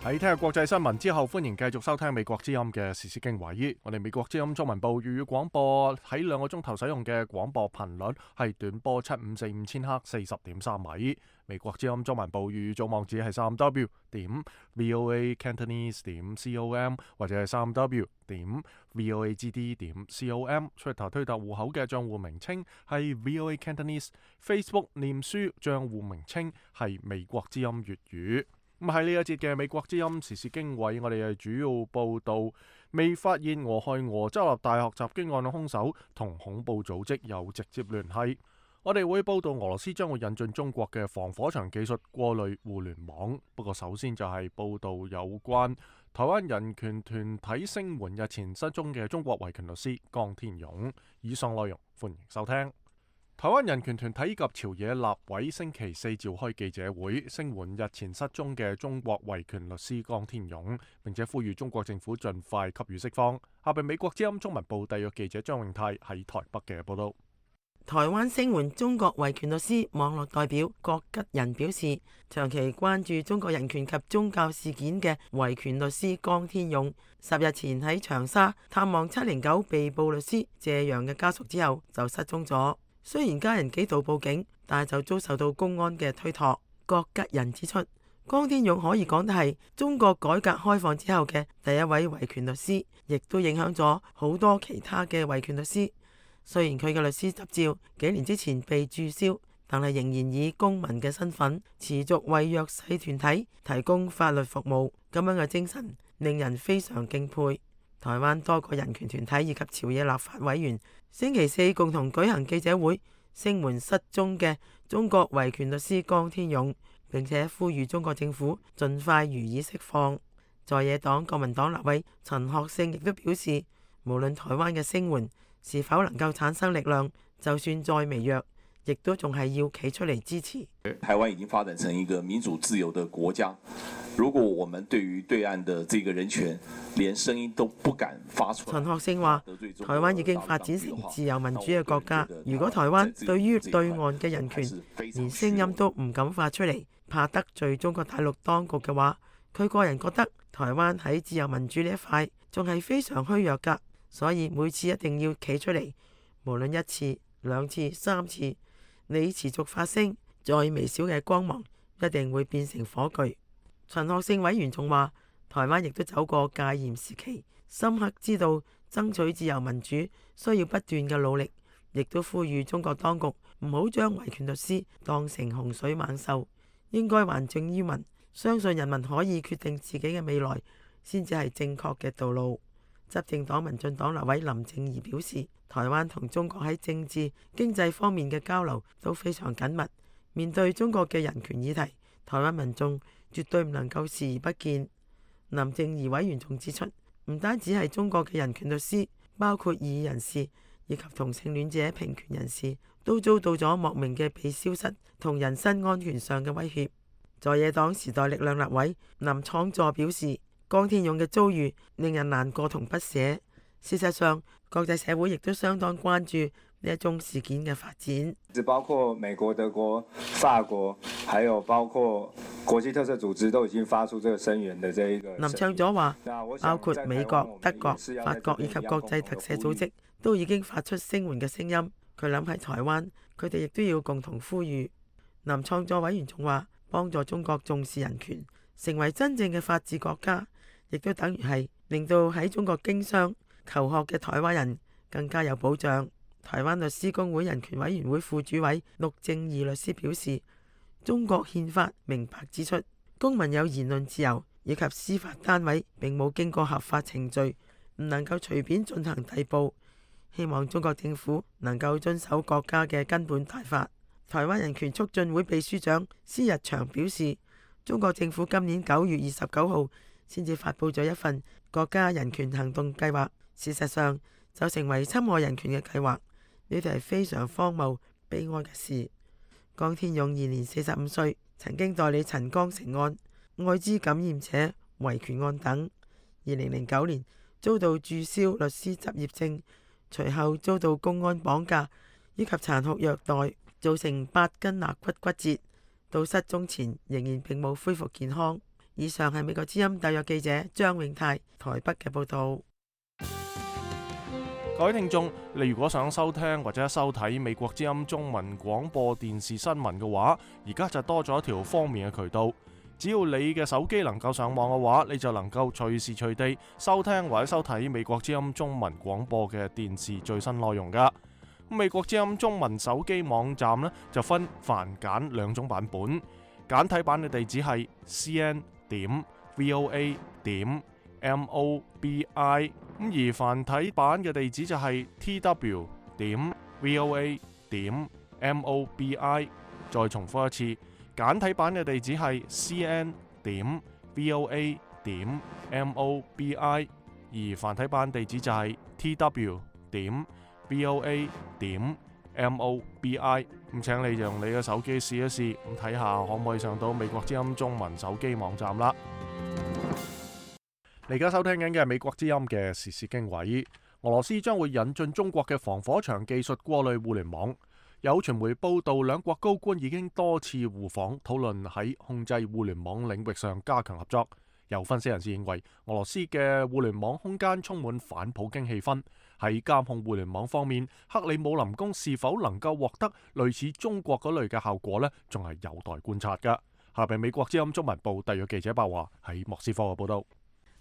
喺聽日國際新聞之後，歡迎繼續收聽美國之音嘅時事經緯。我哋美國之音中文部粵語廣播喺兩個鐘頭使用嘅廣播頻率係短波七五四五千赫四十點三米。美國之音中文部粵語組網址係三 w 點 voa cantonese 點 com 或者係三 w 點 voagd 點 com。出頭推特戶口嘅賬戶名稱係 voa cantonese。Facebook 臉書賬戶名稱係美國之音粵語。咁喺呢一節嘅美國之音時事經緯，我哋係主要報道未發現俄亥俄州立大學襲擊案嘅兇手同恐怖組織有直接聯繫。我哋會報道俄羅斯將會引進中國嘅防火牆技術過濾互聯網。不過首先就係報道有關台灣人權團體聲援日前失蹤嘅中國維權律師江天勇。以上內容歡迎收聽。台灣人權團體及朝野立委星期四召開記者會，聲援日前失蹤嘅中國維權律師江天勇，並且呼籲中國政府盡快給予釋放。下邊美國之音中文部特約記者張永泰喺台北嘅報道。台灣聲援中國維權律師網絡代表郭吉仁表示，長期關注中國人權及宗教事件嘅維權律師江天勇，十日前喺長沙探望七零九被捕律師謝陽嘅家屬之後就失蹤咗。雖然家人幾度報警，但係就遭受到公安嘅推託。郭吉仁指出，江天勇可以講得係中國改革開放之後嘅第一位維權律師，亦都影響咗好多其他嘅維權律師。雖然佢嘅律師執照幾年之前被註銷，但係仍然以公民嘅身份持續為弱勢團體提供法律服務，咁樣嘅精神令人非常敬佩。台灣多個人權團體以及朝野立法委員星期四共同舉行記者會，聲援失蹤嘅中國維權律師江天勇，並且呼籲中國政府盡快予以釋放。在野黨國民黨立委陳學聖亦都表示，無論台灣嘅聲援是否能夠產生力量，就算再微弱，亦都仲係要企出嚟支持。台灣已經發展成一個民主自由的國家，如果我們對於對岸的這個人權連聲音都不敢發出，陳學聖話，台灣已經發展成自由民主嘅國家，如果台灣對於對岸嘅人權連聲音都唔敢發出嚟，怕得罪中國大陸當局嘅話，佢個人覺得台灣喺自由民主呢一塊仲係非常虛弱㗎，所以每次一定要企出嚟，無論一次、兩次、三次，你持續發聲，再微小嘅光芒一定會變成火炬。陳學聖委員仲話，台灣亦都走過戒嚴時期，深刻知道爭取自由民主需要不斷嘅努力，亦都呼籲中國當局唔好將維權律師當成洪水猛獸，應該還政於民，相信人民可以決定自己嘅未來，先至係正確嘅道路。執政黨民進黨立委林靜儀表示，台灣同中國喺政治、經濟方面嘅交流都非常緊密。面對中國嘅人權議題，台灣民眾絕對唔能夠視而不見。林靜儀委員仲指出，唔單止係中國嘅人權律師，包括異議人士以及同性戀者平權人士，都遭到咗莫名嘅被消失同人身安全上嘅威脅。在野黨時代力量立委林昶佐表示，江天勇嘅遭遇令人難過同不捨。事實上，國際社會亦都相當關注呢一宗事件嘅發展。包括美國、德國、法國，還有包括國際特色組織都已經發出這個聲援的這一個。林昶佐話，包括美國、德國、法國以及國際特赦組織都已經發出聲援嘅聲音。佢諗喺台灣，佢哋亦都要共同呼籲。林昶佐委員仲話，幫助中國重視人權，成為真正嘅法治國家，亦都等於係令到喺中國經商、求學嘅台灣人更加有保障。台灣律師公會人權委員會副主委陸正義律師表示，中國憲法明白指出，公民有言論自由，以及司法單位並冇經過合法程序，唔能夠隨便進行逮捕。希望中國政府能夠遵守國家嘅根本大法。台灣人權促進會秘書長施日祥表示，中國政府今年九月二十九號先至發布咗一份國家人權行動計劃。事實上就成為侵害人權嘅計劃，呢啲係非常荒謬悲哀嘅事。江天勇現年四十五歲，曾經代理陳光誠案、艾滋感染者維權案等。二零零九年遭到註銷律師執業證，隨後遭到公安綁架以及殘酷虐待，造成八根肋骨骨折，到失蹤前仍然並冇恢復健康。以上係美國之音特約記者張永泰台北嘅報道。各位聽眾，你如果想收聽或者收睇美國之音中文廣播電視新聞嘅話，而家就多咗一條方便嘅渠道。只要你嘅手機能夠上網嘅話，你就能夠隨時隨地收聽或者收睇美國之音中文廣播嘅電視最新內容噶。美國之音中文手機網站呢，就分繁簡兩種版本，簡體版嘅地址係 c n 點 v o a 點 m o b i。咁而繁體版嘅地址就係 t w 點 v o a 點 m o b i。再重複一次，簡體版嘅地址係 c n 點 v o a 點 m o b i。而繁體版地址就係 t w 點 v o a 點 m o b i。咁請你用你嘅手機試一試，咁睇下可唔可以上到美國之音中文手機網站啦。你而家收聽緊嘅係美國之音嘅時事經緯。俄羅斯將會引進中國嘅防火牆技術過濾互聯網。有傳媒報道，兩國高官已經多次互訪，討論喺控制互聯網領域上加強合作。有分析人士認為，俄羅斯嘅互聯網空間充滿反普京氣氛。喺監控互聯網方面，克里姆林宮是否能夠獲得類似中國嗰類嘅效果呢？仲係有待觀察㗎。下邊美國之音中文部特約記者白華喺莫斯科嘅報道。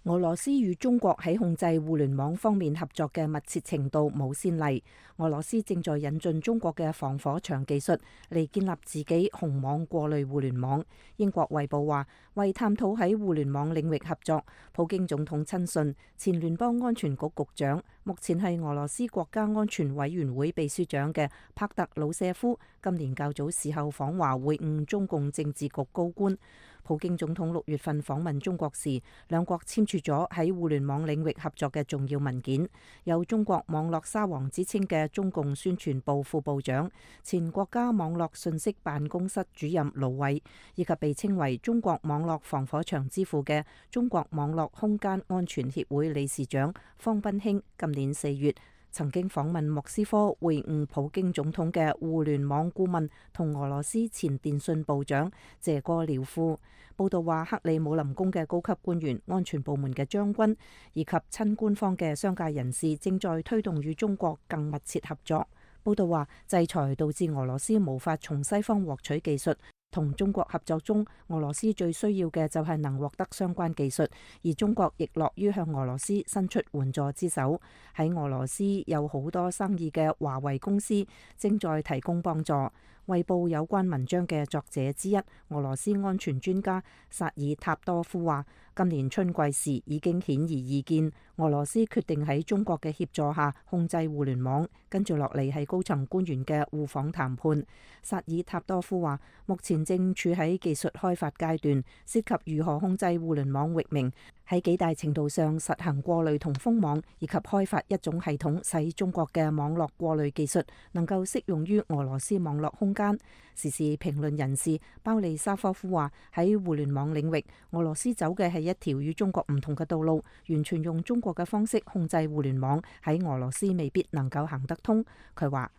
俄羅斯與中國喺控制互聯網方面合作嘅密切程度冇先例。俄羅斯正在引進中國嘅防火牆技術嚟建立自己紅網過濾互聯網。英國衛報話，為探討喺互聯網領域合作，普京總統親信前聯邦安全局局長，目前係俄羅斯國家安全委員會秘書長嘅帕特魯舍夫，今年較早時候訪華會晤中共政治局高官。普京總統六月份訪問中國時，兩國簽署咗喺互聯網領域合作嘅重要文件。有中國網絡沙皇之稱嘅中共宣傳部副部長、前國家網絡信息辦公室主任盧偉，以及被稱為中國網絡防火牆之父嘅中國網絡空間安全協會理事長方斌興，今年四月曾經訪問莫斯科會晤普京總統嘅互聯網顧問同俄羅斯前電信部長謝戈廖夫。報道話，克里姆林宮嘅高級官員、安全部門嘅將軍以及親官方嘅商界人士正在推動與中國更密切合作。報道話，制裁導致俄羅斯無法從西方獲取技術。同中國合作中，俄羅斯最需要嘅就係能獲得相關技術，而中國亦樂於向俄羅斯伸出援助之手。喺俄羅斯有好多生意嘅華為公司正在提供幫助。衛報有關文章嘅作者之一，俄羅斯安全專家薩爾塔多夫話，今年春季時已經顯而易見，俄羅斯決定喺中國嘅協助下控制互聯網。跟住落嚟係高層官員嘅互訪談判。薩爾塔多夫話，目前正處喺技術開發階段，涉及如何控制互聯網域名，喺幾大程度上實行過濾同封網，以及開發一種系統，使中國嘅網絡過濾技術能夠適用於俄羅斯網絡空間。時事評論人士鮑利沙科夫話，喺互聯網領域，俄羅斯走嘅係一條與中國唔同嘅道路，完全用中國嘅方式控制互聯網，喺俄羅斯未必能夠行得通。佢話，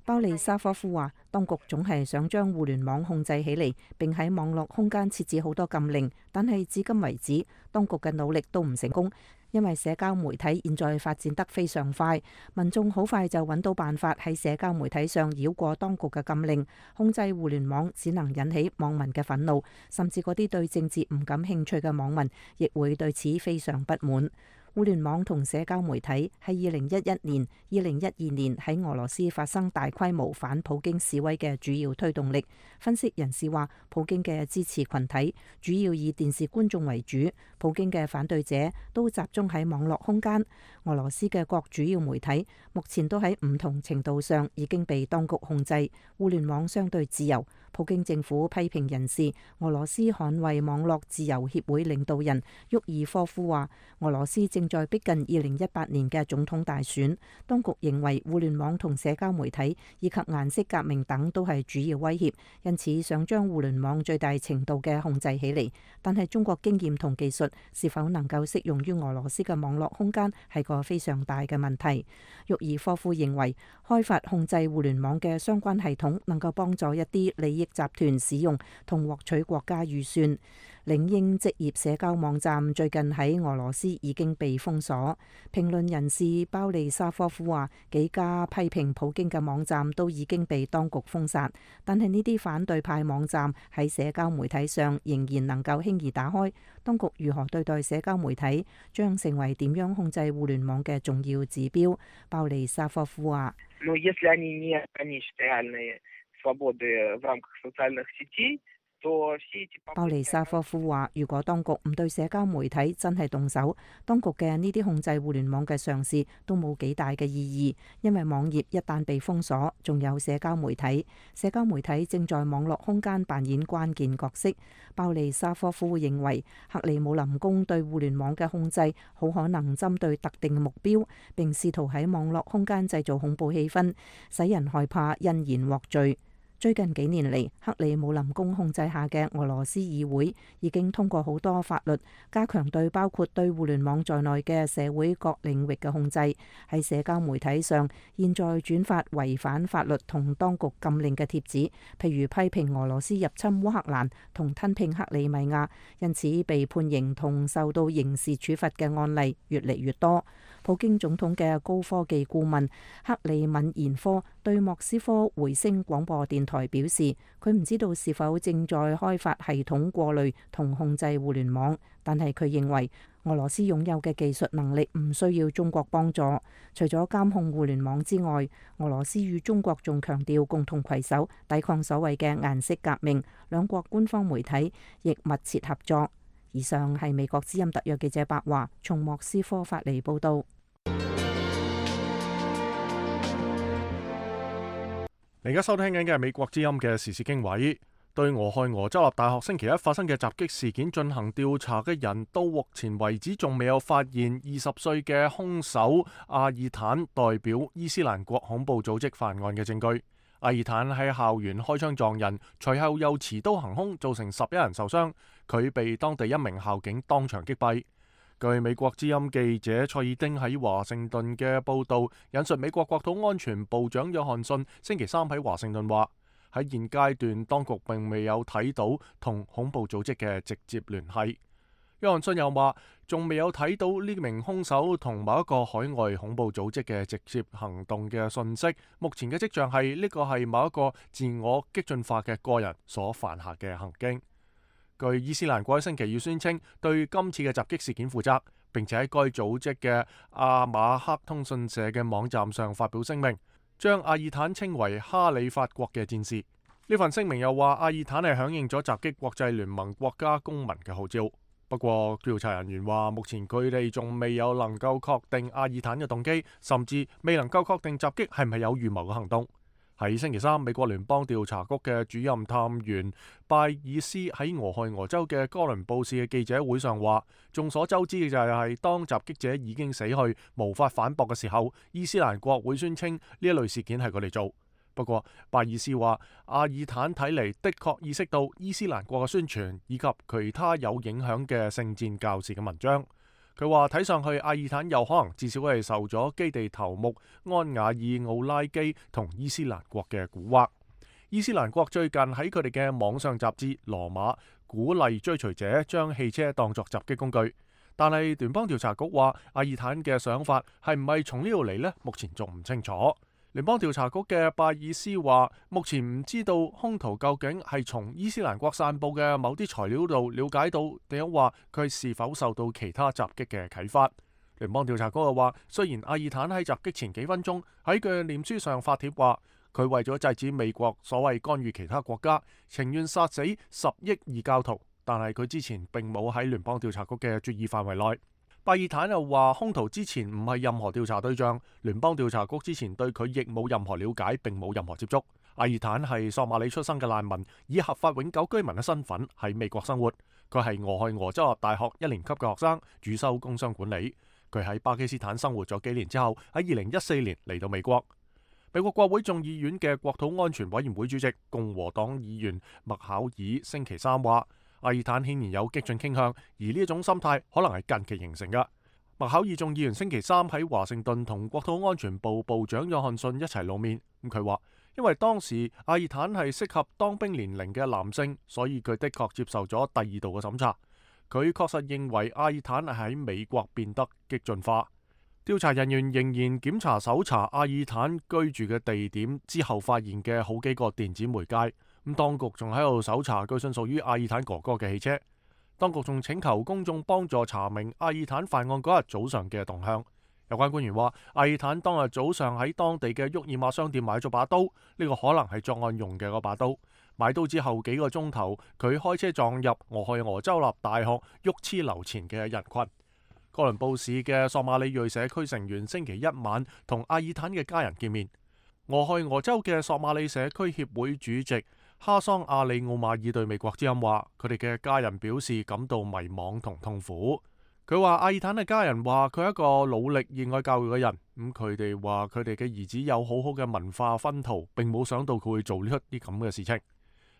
鮑利沙科夫話，當局總係想將互聯網控制起嚟，並喺網絡空間設置好多禁令，但係至今為止，當局嘅努力都唔成功，因為社交媒體現在發展得非常快，民眾好快就揾到辦法喺社交媒體上繞過當局嘅禁令，控制互聯網只能引起網民嘅憤怒，甚至嗰啲對政治唔感興趣嘅網民亦會對此非常不滿。互聯網同社交媒體係二零一一年、二零一二年喺俄羅斯發生大規模反普京示威嘅主要推動力。分析人士話，普京嘅支持群體主要以電視觀眾為主，普京嘅反對者都集中喺網絡空間。俄羅斯嘅各主要媒體目前都喺唔同程度上已經被當局控制，互聯網相對自由。普京政府批評人士，俄羅斯捍衛網絡自由協會領導人沃爾科夫話，俄羅斯正在逼近二零一八年嘅總統大選，當局認為互聯網同社交媒體以及顏色革命等都係主要威脅，因此想將互聯網最大程度嘅控制起嚟。但係中國經驗同技術是否能夠適用於俄羅斯嘅網絡空間係個非常大嘅問題。沃爾科夫認為，開發控制互聯網嘅相關系統能夠幫助一啲利益集團使用同獲取國家預算。領英職業社交網站最近喺俄羅斯已經被封鎖。評論人士鮑利沙科夫話，幾家批評普京嘅網站都已經被當局封殺，但係呢啲反對派網站喺社交媒體上仍然能夠輕易打開。當局如何對待社交媒體，將成為點樣控制互聯網嘅重要指標。鮑利沙科夫話，鮑利沙科夫話，如果當局唔對社交媒體真係動手，當局嘅呢啲控制互聯網嘅嘗試都冇幾大嘅意義，因為網頁一旦被封鎖，仲有社交媒體，社交媒體正在網絡空間扮演關鍵角色。鮑利沙科夫認為，克里姆林宮對互聯網嘅控制好可能針對特定目標，並試圖喺網絡空間製造恐怖氣氛，使人害怕因言獲罪。最近幾年嚟，克里姆林宮控制下嘅俄羅斯議會已經通過好多法律，加強對包括對互聯網在內嘅社會各領域嘅控制。喺社交媒體上，現在轉發違反法律同當局禁令嘅貼子，譬如批評俄羅斯入侵烏克蘭同吞併克里米亞，因此被判刑同受到刑事處罰嘅案例越嚟越多。普京總統嘅高科技顧問克里敏延科對莫斯科回聲廣播電台表示，佢唔知道是否正在開發系統過濾同控制互聯網，但係佢認為俄羅斯擁有嘅技術能力唔需要中國幫助。除咗監控互聯網之外，俄羅斯與中國仲強調共同攜手抵抗所謂嘅顏色革命，兩國官方媒體亦密切合作。以上係美國之音特約記者白華從莫斯科發嚟報道。你而家收聽緊嘅係美國之音嘅時事經緯。對俄亥俄州立大學星期一發生嘅襲擊事件進行調查嘅人，到目前為止仲未有發現二十歲嘅兇手阿爾坦代表伊斯蘭國恐怖組織犯案嘅證據。阿爾坦喺校園開槍撞人，隨後又持刀行兇，造成十一人受傷。佢被當地一名校警當場擊斃。據美國之音記者蔡爾丁喺華盛頓嘅報導，引述美國國土安全部長約翰遜星期三喺華盛頓話，喺現階段當局並未有睇到同恐怖組織嘅直接聯繫。約翰遜又話，仲未有睇到呢名兇手同某一個海外恐怖組織嘅直接行動嘅訊息。目前嘅跡象係呢個係某一個自我激進化嘅個人所犯下嘅行徑。據伊斯蘭國喺星期二宣稱對今次嘅襲擊事件負責，並且喺該組織嘅阿馬克通訊社嘅網站上發表聲明，將阿爾坦稱為哈里發國嘅戰士。呢份聲明又話，阿爾坦係響應咗襲擊國際聯盟國家公民嘅號召。不過調查人員話，目前佢哋仲未有能夠確定阿爾坦嘅動機，甚至未能夠確定襲擊係唔係有預謀嘅行動。喺星期三，美國聯邦調查局嘅主任探員拜爾斯喺俄亥俄州嘅哥倫布市嘅記者會上話，眾所周知嘅就係當襲擊者已經死去，無法反駁嘅時候，伊斯蘭國會宣稱呢一類事件係佢哋做。不過拜爾斯話，阿爾坦睇嚟的確意識到伊斯蘭國嘅宣傳以及其他有影響嘅聖戰教士嘅文章。佢話睇上去阿爾坦有可能至少係受咗基地頭目安瓦爾奧拉基同伊斯蘭國嘅蠱惑。伊斯蘭國最近喺佢哋嘅網上雜誌羅馬鼓勵追隨者將汽車當作襲擊工具，但係聯邦調查局話阿爾坦嘅想法係唔係從呢度嚟呢？目前仲唔清楚。聯邦調查局嘅拜爾斯話，目前唔知道兇徒究竟係從伊斯蘭國散佈嘅某啲材料度了解到，定係話佢是否受到其他襲擊嘅啟發。聯邦調查局又話，雖然阿爾坦喺襲擊前幾分鐘喺佢臉書上發帖話，佢為咗制止美國所謂干預其他國家，情願殺死十億異教徒，但係佢之前並冇喺聯邦調查局嘅注意範圍內。拜爾坦又話，兇徒之前唔係任何調查對象，聯邦調查局之前對佢亦冇任何了解，並冇任何接觸。阿爾坦係索馬里出生嘅難民，以合法永久居民嘅身份喺美國生活。佢係俄亥俄州立大學一年級嘅學生，主修工商管理。佢喺巴基斯坦生活咗幾年之後，喺二零一四年嚟到美國。美國國會眾議院嘅國土安全委員會主席共和黨議員麥考爾星期三話，阿爾坦顯然有激進傾向，而呢一種心態可能係近期形成嘅。麥考爾眾議員星期三喺華盛頓同國土安全部部長約翰遜一齊露面。咁佢話，因為當時阿爾坦係適合當兵年齡嘅男性，所以佢的確接受咗第二度嘅審查。佢確實認為阿爾坦喺美國變得激進化。調查人員仍然檢查搜查阿爾坦居住嘅地點之後發現嘅好幾個電子媒介。咁當局仲喺度搜查據信屬於阿爾坦哥哥嘅汽車。當局仲請求公眾幫助查明阿爾坦犯案嗰日早上嘅動向。有關官員話，阿爾坦當日早上喺當地嘅沃爾瑪商店買咗把刀，呢、這個可能係作案用嘅嗰把刀。買刀之後幾個鐘頭，佢開車撞入俄亥俄州立大學沃茨樓前嘅人群。哥倫布市嘅索馬里裔社區成員星期一晚同阿爾坦嘅家人見面。俄亥俄州嘅索馬里社區協會主席哈桑阿里奧馬爾對美國之音話，佢哋嘅家人表示感到迷惘同痛苦。佢話阿爾坦嘅家人話佢係一個努力熱愛教育嘅人，咁佢哋話佢哋嘅兒子有好好嘅文化熏陶，並冇想到佢會做呢一啲咁嘅事情。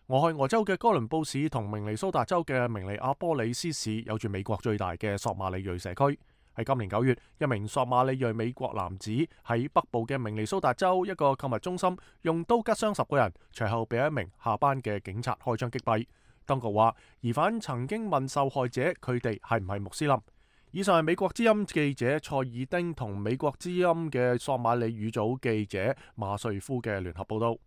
俄亥俄州嘅哥倫布市同明尼蘇達州嘅明尼阿波里斯市有住美國最大嘅索馬里裔社區。喺今年九月，一名索馬里裔美國男子喺北部嘅明尼蘇達州一個購物中心用刀吉傷十個人，隨後被一名下班嘅警察開槍擊斃。當局話，疑犯曾經問受害者佢哋係唔係穆斯林。以上係美國之音記者蔡爾丁同美國之音嘅索馬里語組記者馬瑞夫嘅聯合報道。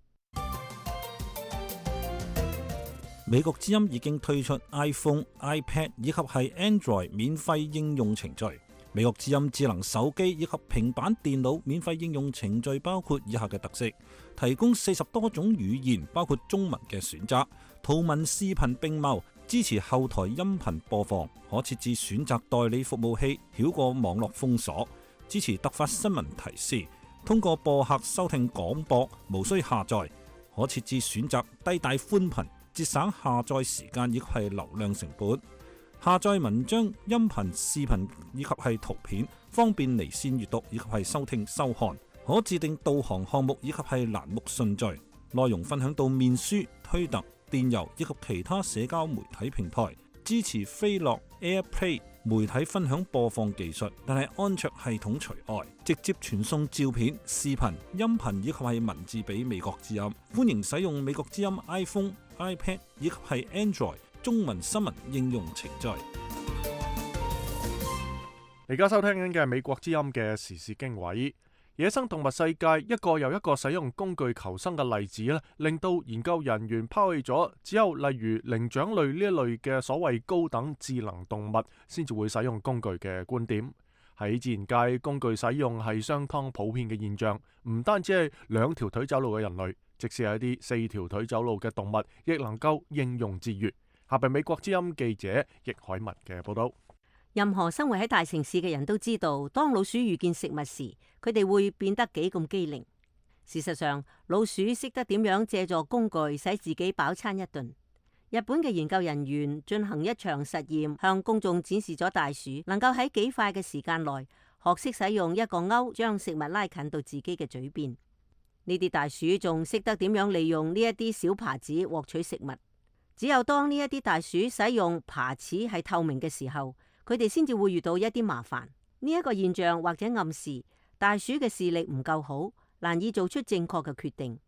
美國之音已經推出 iPhone、iPad 以及係 Android 免費應用程序。美國之音智能手機以及平板電腦免費應用程序包括以下嘅特色：提供四十多種語言，包括中文嘅選擇，圖文視頻並茂，支持後台音頻播放，可設置選擇代理服務器，繞過網絡封鎖，支持突發新聞提示，通過播客收聽廣播，無需下載，可設置選擇低帶寬頻，節省下載時間以及係流量成本。下載文章、音頻、視頻以及係圖片，方便離線閱讀以及係收聽收看。可自定導航項目以及係欄目順序。內容分享到面書、推特、電郵以及其他社交媒體平台。支持飛樂 AirPlay 媒體分享播放技術，但係安卓系統除外。直接傳送照片、視頻、音頻以及係文字俾美國之音。歡迎使用美國之音 iPhone、iPad 以及係 Android中文新聞應用程序。而家收聽緊嘅係美國之音嘅時事經緯。野生動物世界一個又一個使用工具求生嘅例子咧，令到研究人員拋棄咗只有例如靈長類呢一類嘅所謂高等智能動物先至會使用工具嘅觀點。喺自然界，工具使用係相當普遍嘅現象，唔單止係兩條腿走路嘅人類，即使係一啲四條腿走路嘅動物，亦能夠應用自如。下邊美國之音記者易海文嘅報道。任何生活喺大城市嘅人都知道，當老鼠遇見食物時，佢哋會變得幾咁機靈。事實上，老鼠識得點樣借助工具使自己飽餐一頓。日本嘅研究人員進行一場實驗，向公眾展示咗大鼠能夠喺幾快嘅時間內學識使用一個鈎，將食物拉近到自己嘅嘴邊。呢啲大鼠仲識得點樣利用呢一啲小耙子獲取食物。只有當呢一啲大鼠使用耙齒係透明嘅時候，佢哋先至會遇到一啲麻煩。呢一個現象或者暗示大鼠嘅視力唔夠好，難以做出正確嘅決定。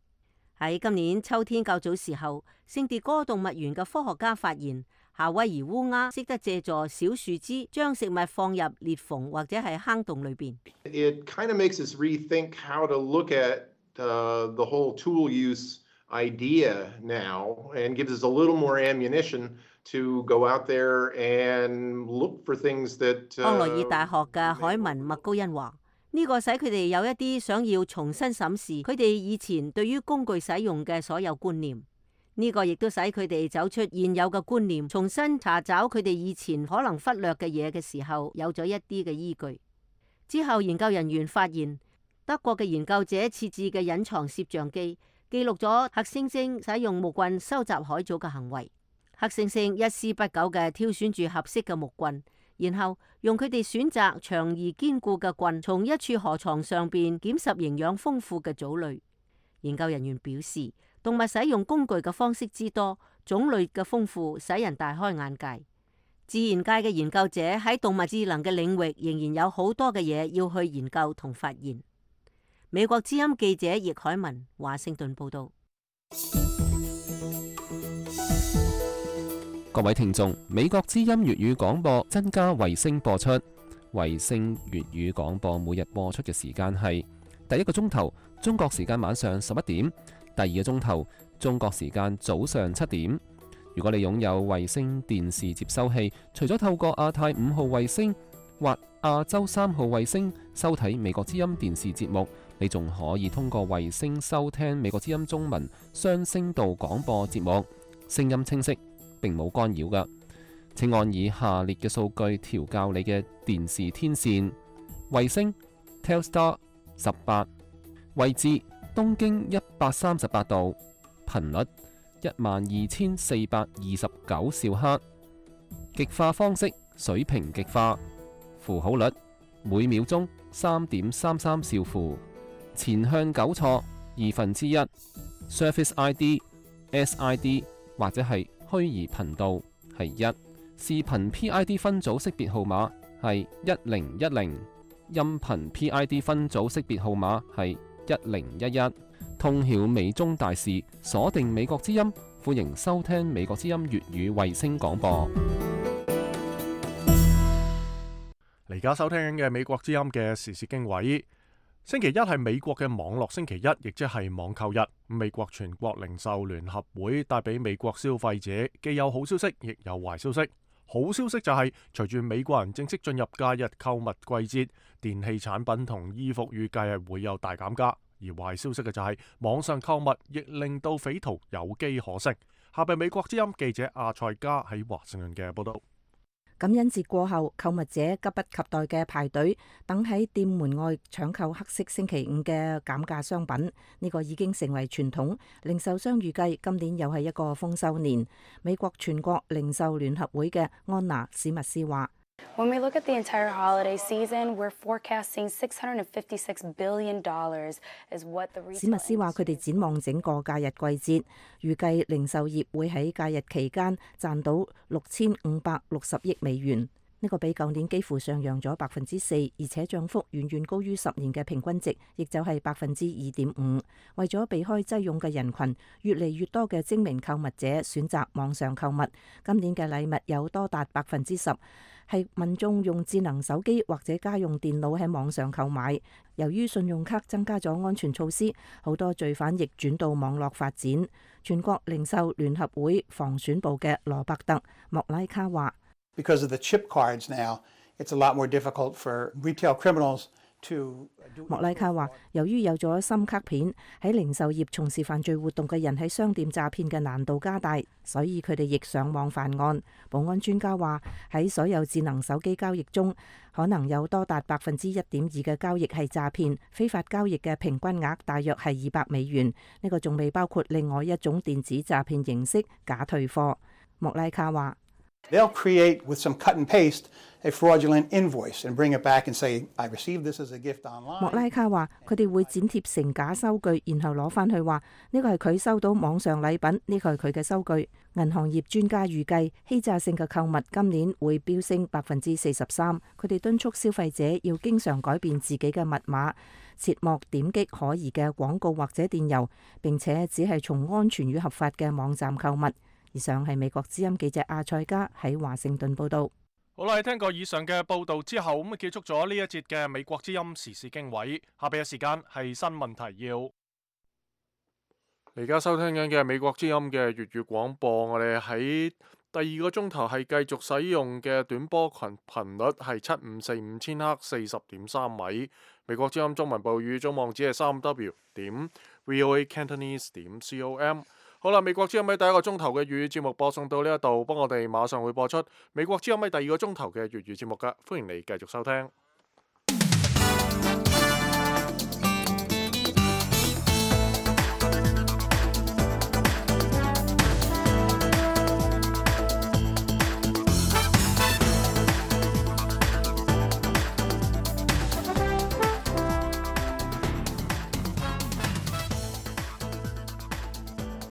喺今年秋天較早時候，聖迭戈動物園嘅科學家發現，夏威夷烏鴉識得借助小樹枝將食物放入裂縫或者係坑洞裏邊。It kind of makes us rethink how to look at uh, the whole tool use idea now and gives us a little more ammunition to go out there and look for things that 康奈爾大學嘅海文麥高恩話：呢個使佢哋有一啲想要重新審視佢哋以前對於工具使用嘅所有觀念。呢個亦都使佢哋走出現有嘅觀念，重新查找佢哋以前可能忽略嘅嘢嘅時候，有咗一啲嘅依據。之後研究人員發現，德國嘅研究者設置嘅隱藏攝像機記錄咗黑猩猩使用木棍收集海藻嘅行為。黑猩猩一絲不苟嘅挑選住合適嘅木棍，然後用佢哋選擇長而堅固嘅棍，從一處河床上邊檢拾營養豐富嘅藻類。研究人員表示，動物使用工具嘅方式之多，種類嘅豐富，使人大開眼界。自然界嘅研究者喺動物智能嘅領域仍然有好多嘅嘢要去研究同發現。美國之音記者葉海文，華盛頓報道。各位聽眾，美國之音粵語廣播增加衛星播出。衛星粵語廣播每日播出嘅時間係第一個鐘頭中國時間晚上十一點，第二個鐘頭中國時間早上七點。如果你擁有衛星電視接收器，除咗透過亞太五號衛星或亞洲三號衛星收睇美國之音電視節目，你仲可以通過衛星收聽美國之音中文雙聲道廣播節目，聲音清晰，並冇干擾㗎。請按以下列嘅數據調校你嘅電視天線：衛星 Telstar 十八，位置東經一百三十八度，頻率一萬二千四百二十九兆赫，極化方式水平極化，符號率每秒鐘三點三三兆符，前向糾錯二分之一 ，Service I D S I D 或者係虛擬頻道係一，視頻 P I D 分組識別號碼係一零一零，音頻 P I D 分組識別號碼係一零一一。通曉美中大事，鎖定美國之音，歡迎收聽美國之音粵語衛星廣播。而家收聽嘅美國之音嘅時事經緯，星期一係美國嘅網絡星期一，亦即係網購日。美國全國零售聯合會帶俾美國消費者既有好消息，亦有壞消息。好消息就係隨住美國人正式進入假日購物季節，電器產品同衣服預計係會有大減價。而壞消息嘅就係網上購物亦令到匪徒有機可乘。下邊美國之音記者阿塞加喺華盛頓嘅報道。感恩節過後，購物者急不及待嘅排隊等喺店門外搶購黑色星期五嘅減價商品，呢個已經成為傳統。零售商預計今年又係一個豐收年。美國全國零售聯合會嘅安娜史密斯話When we look at the entire holiday season, we're forecasting six hundred fifty-six billion dollars is what the retail. 史密斯話：佢哋展望整個假日季節，預計零售業會喺假日期間賺到六千五百六十億美元。呢個比舊年幾乎上揚咗百分之四，而且漲幅遠遠高於十年嘅平均值，亦就係百分之二點五。為咗避開擠擁嘅人群，越嚟越多嘅精明購物者選擇網上購物。今年嘅禮物有多達百分之十係民眾用智能手機或者家用電腦喺網上購買。由於信用卡增加咗安全措施，好多罪犯亦轉到網絡發展。全國零售聯合會防選部嘅羅伯特莫拉卡話：Because of the chip cards now, it's a lot more difficult for retail criminals to. 莫拉卡話：由於有咗深卡片，喺零售業從事犯罪活動嘅人喺商店詐騙嘅難度加大，所以佢哋亦上網犯案。保安專家話：喺所有智能手機交易中，可能有多達百分之一點二嘅交易係詐騙，非法交易嘅平均額大約係二百美元。呢個仲未包括另外一種電子詐騙形式假退貨。莫拉卡話：They'll create with some cut and paste a fraudulent invoice and bring it back and say, I received this as a gift online. 莫拉卡話：佢哋會剪貼成假收據，然後攞翻去話呢個係佢收到網上禮品，呢個係佢嘅收據。銀行業專家預計欺詐性嘅購物今年會飆升百分之四十三。佢哋敦促消費者要經常改變自己嘅密碼，切莫點擊可疑嘅廣告或者電郵，並且只係從安全與合法嘅網站購物。以上係美國之音記者阿塞加喺華盛頓報道。好啦，聽過以上嘅報道之後，咁啊結束咗呢一節嘅美國之音時事經緯。下邊嘅時間係新聞提要。而家收聽緊嘅係美國之音嘅粵語廣播，我哋喺第二個鐘頭係繼續使用嘅短波群頻率係七五四五千赫四十點三米。美國之音中文部語總網址係三 w 點 voa cantonese 點 com。好啦，美國之音喺第一個鐘頭嘅粵語節目播送到呢一度，幫我哋馬上會播出美國之音喺第二個鐘頭嘅粵語節目㗎，歡迎你繼續收聽。